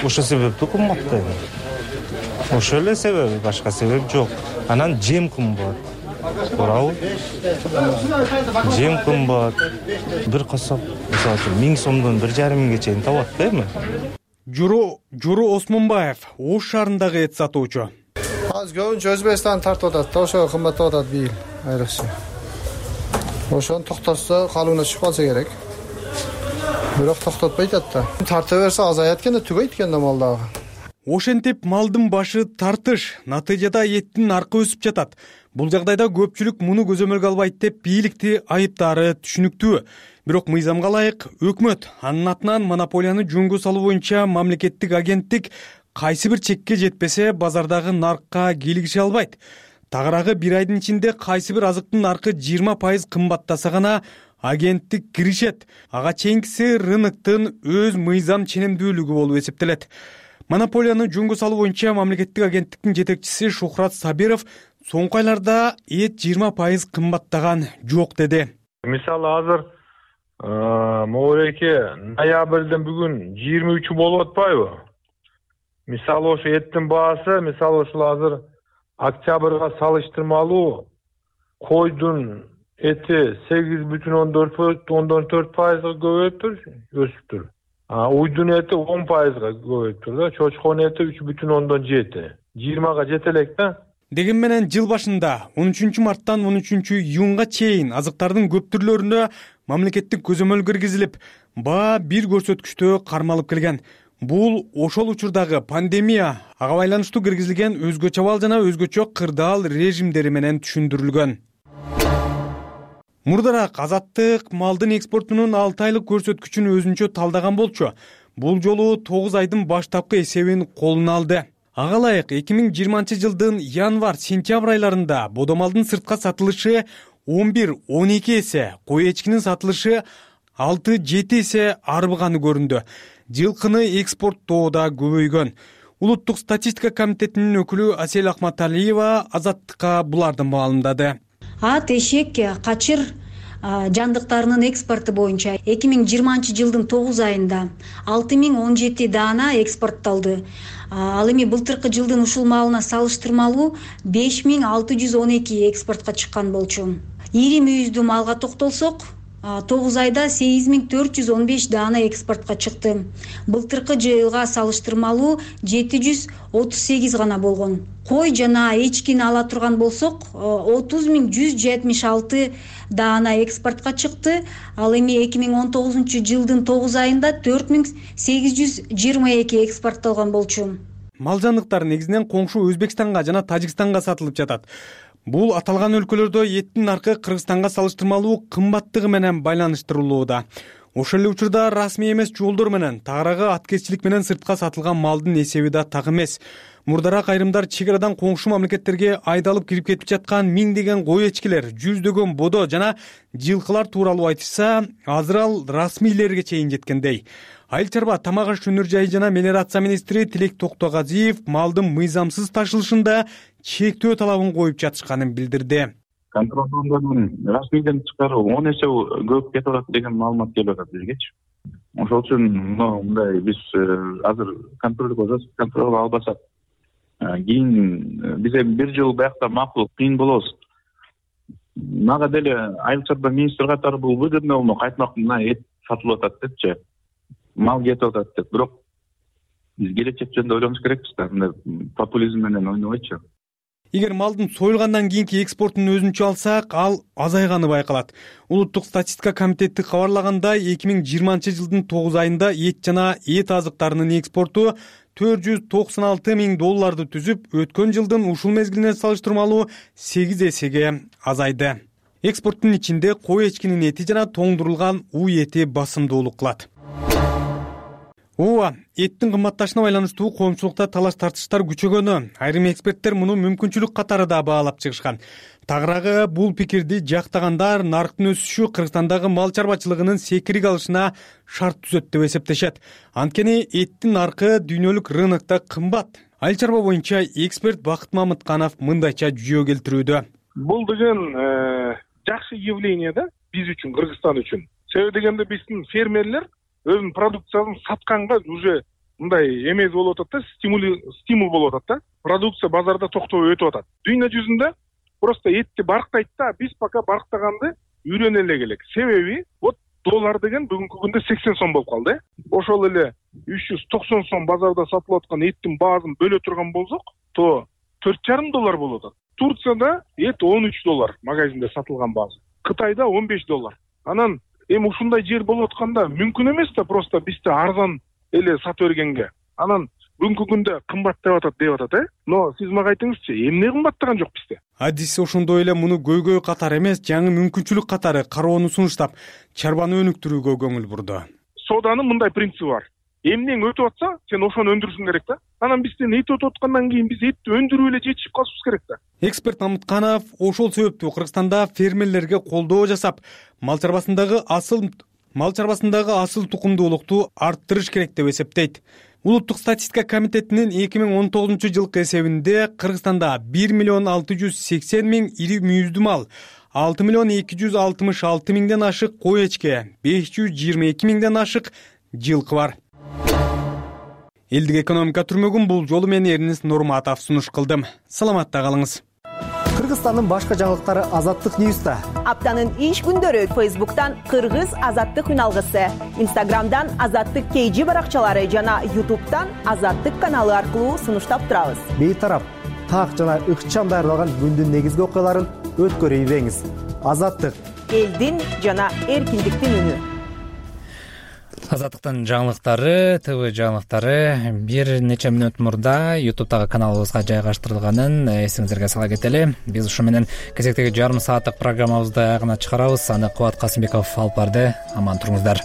Ошо себептүү кымбаттайт. Ошол эле себеби, башка себеп жок. Анан жем кымбат. Туурабы? Жем кымбат. Бир касап, мисалы үчүн 1000 сомдон 1,5 чейин табат да эми. Журу Осмонбаев Ош шаарындагы эт сатуучу. Азыр көбүнчө Өзбекстан тартып атат, ошо кымбаттап атат бийил айрыкча. Ошону токтотсо калыбына чыгып калса керек. Бирок токтотпойт атта. Тарта берсе азаят экен да түгөйт экен да мал дагы. Ошентип малдын башы тартыш, натыйжада эттин наркы өсүп жатат. Бул жагдайда көпчүлүк муну көзөмөлгө албайт деп бийликти айыптаары түшүнүктүү. Бирок мыйзамга ылайык өкмөт анын атынан монополияны жөнгө салуу боюнча мамлекеттик агенттик кайсы бир чекке жетпесе базардагы наркка кийлигише албайт. Тагыраагы 1 айдын ичинде кайсы бир азыктын наркы 20% кымбаттаса гана агенттик киришет. Ага чейинкиси рыноктун өз мыйзам ченемдүүлүгү болуп эсептелет. Монополияны жөнгө салуу боюнча мамлекеттик агенттиктин жетекчиси Шухрат Сабиров соңку айларда эт 20% кымбаттаган жок деди. Мисалы азыр могуреке ноябрдын бүгүн 23 болуп атпайбы? Мисалы ошо эттин баасы, мисалы ушул азыр октябрга салыштырмалуу койдун эти 8,4% көбөйүптүр, өсүптүр. Уйдун эти 10% көбөйүптүр да, чочконун эти 3,7. 20га жете элек да. Деген менен жыл башында 13 марттан 13 июнга чейин азыктардын көп түрлөрүнө мамлекеттик көзөмөл киргизилип, баа бир көрсөткүчтө кармалып келген. Бул ошол учурдагы пандемия, ага байланыштуу киргизилген өзгөчө абал жана өзгөчө кырдаал режимдери менен түшүндүрүлгөн. Мурдараак азаттык малдын экспортунун 6 айлык көрсөткүчүн өзүнчө талдаган болчу. Бул жолу 9 айдын баштапкы эсебин колуна алды. Ага ылайык 2020 жылдын январь-сентябрь айларында бодомалдын сыртка сатылышы 11-12 эсе, кой эчкинин сатылышы 6-7 эсе арбыганы көрүндү. Жылкыны экспорттоодо көбөйгөн. Улуттук статистика комитетинин өкүлү Асель Акматалиева азаттыкка буларды маалымдады. Ат, эшек, качыр жандыктарынын экспорту боюнча 2020 жылдын 9 айында 6017 даана экспорттолду. Ал эми былтыркы жылдын ушул маалына салыштырмалуу 5612 экспортко чыккан болчу. Ири мүйүздүү малга токтолсок, 9 айда 8415 даана экспортко чыкты. Былтыркы жылга салыштырмалуу 738 гана болгон. Кой жана эчкини ала турган болсок, 30176 даана экспортко чыкты. Ал эми 2019 жылдын 9 айында 4822 экспорттолгон болчу. Мал жандыктар негизинен коңшу Өзбекстанга жана Тажикстанга сатылып жатат. Бул аталган өлкөлөрдө эттин наркы Кыргызстанга салыштырмалуу кымбаттыгы менен байланыштырылууда. Ошол эле учурда расмий эмес жолдор менен тагыраагы аткезчилик менен сыртка сатылган малдын эсеби да так эмес. Мурдараак айрымдар чек арадан коңшу мамлекеттерге айдалып кирип кетип жаткан миңдеген кой эчкилер, жүздөгөн бодо жана жылкылар тууралуу айтышса, азыр ал расмийлерге чейин жеткендей. Айыл чарба тамак аш өнөр жайы жана мелиорация министри Тилек Токтогазиев малдын мыйзамсыз ташылышында чектөө талабын коюп жатышканын билдирди. Контролдордун расмийден тышкары 10 эсе көп кетип атат деген маалымат келип атат бизгечи. Ошол үчүн мындай биз азыр контролго албасак, кийин биз эми бир жыл биякта макул кыйын болобуз. Мага деле айыл чарба министр катары бул выгодно болмок, айтмак мына эт сатылып атат депчи. Мал кетип атат деп. Бирок биз келечек жөнүндө ойлонуш керекпиз да, мындай популизм менен ойнобойчу. Эгер малдын союлгандан кийинки экспортун өзүнчө алсак, ал азайганы байкалат. Улуттук статистика комитети кабарлагандай, 2020 жылдын 9 айында эт жана эт азыктарынын экспорту $496 миң түзүп, өткөн жылдын ушул мезгилине салыштырмалуу 8 эсеге азайды. Экспорттун ичинде кой эчкинин эти жана тоңдурулган уй эти басымдуулук кылат. Ооба, эттин кымбатташына байланыштуу коомчулукта талаш тартыштар күчөгөнү айрым эксперттер муну мүмкүнчүлүк катары да баалап чыгышкан. Тагыраагы бул пикирди жактагандар нарктын өсүшү Кыргызстандагы мал чарбачылыгынын секирик алышына шарт түзөт деп эсептешет. Анткени эттин наркы дүйнөлүк рынокто кымбат. Айыл чарба боюнча эксперт Бакыт Мамытканов мындайча жүйө келтирүүдө. Бул деген жакшы явление да биз үчүн, Кыргызстан үчүн. Себеби дегенде биздин фермерлер өзүнүн продукциясын сатканга уже мындай эмес болуп атат да, стимул болуп атат да. Продукция базарда токтобой өтүп атат. Дүйнө жүзүндө просто этти барктайт да, биз пока барктаганды үйрөнө эле келек. Себеби вот доллар деген бүгүнкү күндө 80 сом болуп калды. Ошол эле 390 сом базарда сатылып аткан эттин баазын бөлө турган болсок, то $4,5 болуп атат. Турцияда эт $13 магазинде сатылган баазы. Кытайда $15. Анан эми ушундай жер болуп атканда мүмкүн эмес да просто бизде арзан эле сатып бергенге. Анан бүгүнкү күндө кымбаттап атат, Но сиз мага айтыңызчы, эмне кымбаттаган жок бизде? Адис ошондой эле муну көйгөй катары эмес, жаңы мүмкүнчүлүк катары кароону сунуштап, чарбаны өнүктүрүүгө көңүл бурду. Сооданын мындай принциби бар. Эмнең өтүп атса, сен ошону өндүрүшүң керек да. Анан бизден эт өтүп аткандан кийин биз этти өндүрүп эле жетишип калышыбыз керек да. Эксперт Мамытканов ошол себептүү Кыргызстанда фермерлерге колдоо жасап, мал чарбасындагы асыл тукумдуулукту арттырыш керек деп эсептейт. Улуттук статистика комитетинин 2019 жылкы эсебинде Кыргызстанда 1,680,000 ири мүйүздүү мал, 6.266.000 ашык кой эчке, 522.000 ашык жылкы бар. Элдик экономика түрмөгүн бул жолу мен Эрнис Нурматов сунуш кылдым. Саламатта калыңыз. Кыргызстандын башка жаңылыктары Азаттык Ньюста. Аптанын иш күндөрү Facebook'tan Кыргыз Азаттык үналгысы, Instagram'dan Азаттык KG баракчалары жана YouTube'дан Азаттык каналы аркылуу сунуштап турабыз. Бейтарап, так жана ыкчам даярдалган күндүн негизги окуяларын өткөрүп ийбеңиз. Азаттык элдин жана эркиндиктин үнү. Азаттыктын жаңылыктары, ТВ жаңылыктары бир нече мүнөт мурда YouTube'дагы каналыбызга жайгаштырылганын эсиңиздерге сала кетели. Биз ушу менен кезектеги жарым сааттык программабызды аягына чыгарабыз. Аны Кубат Касымбеков алып барды. Аман туруңуздар.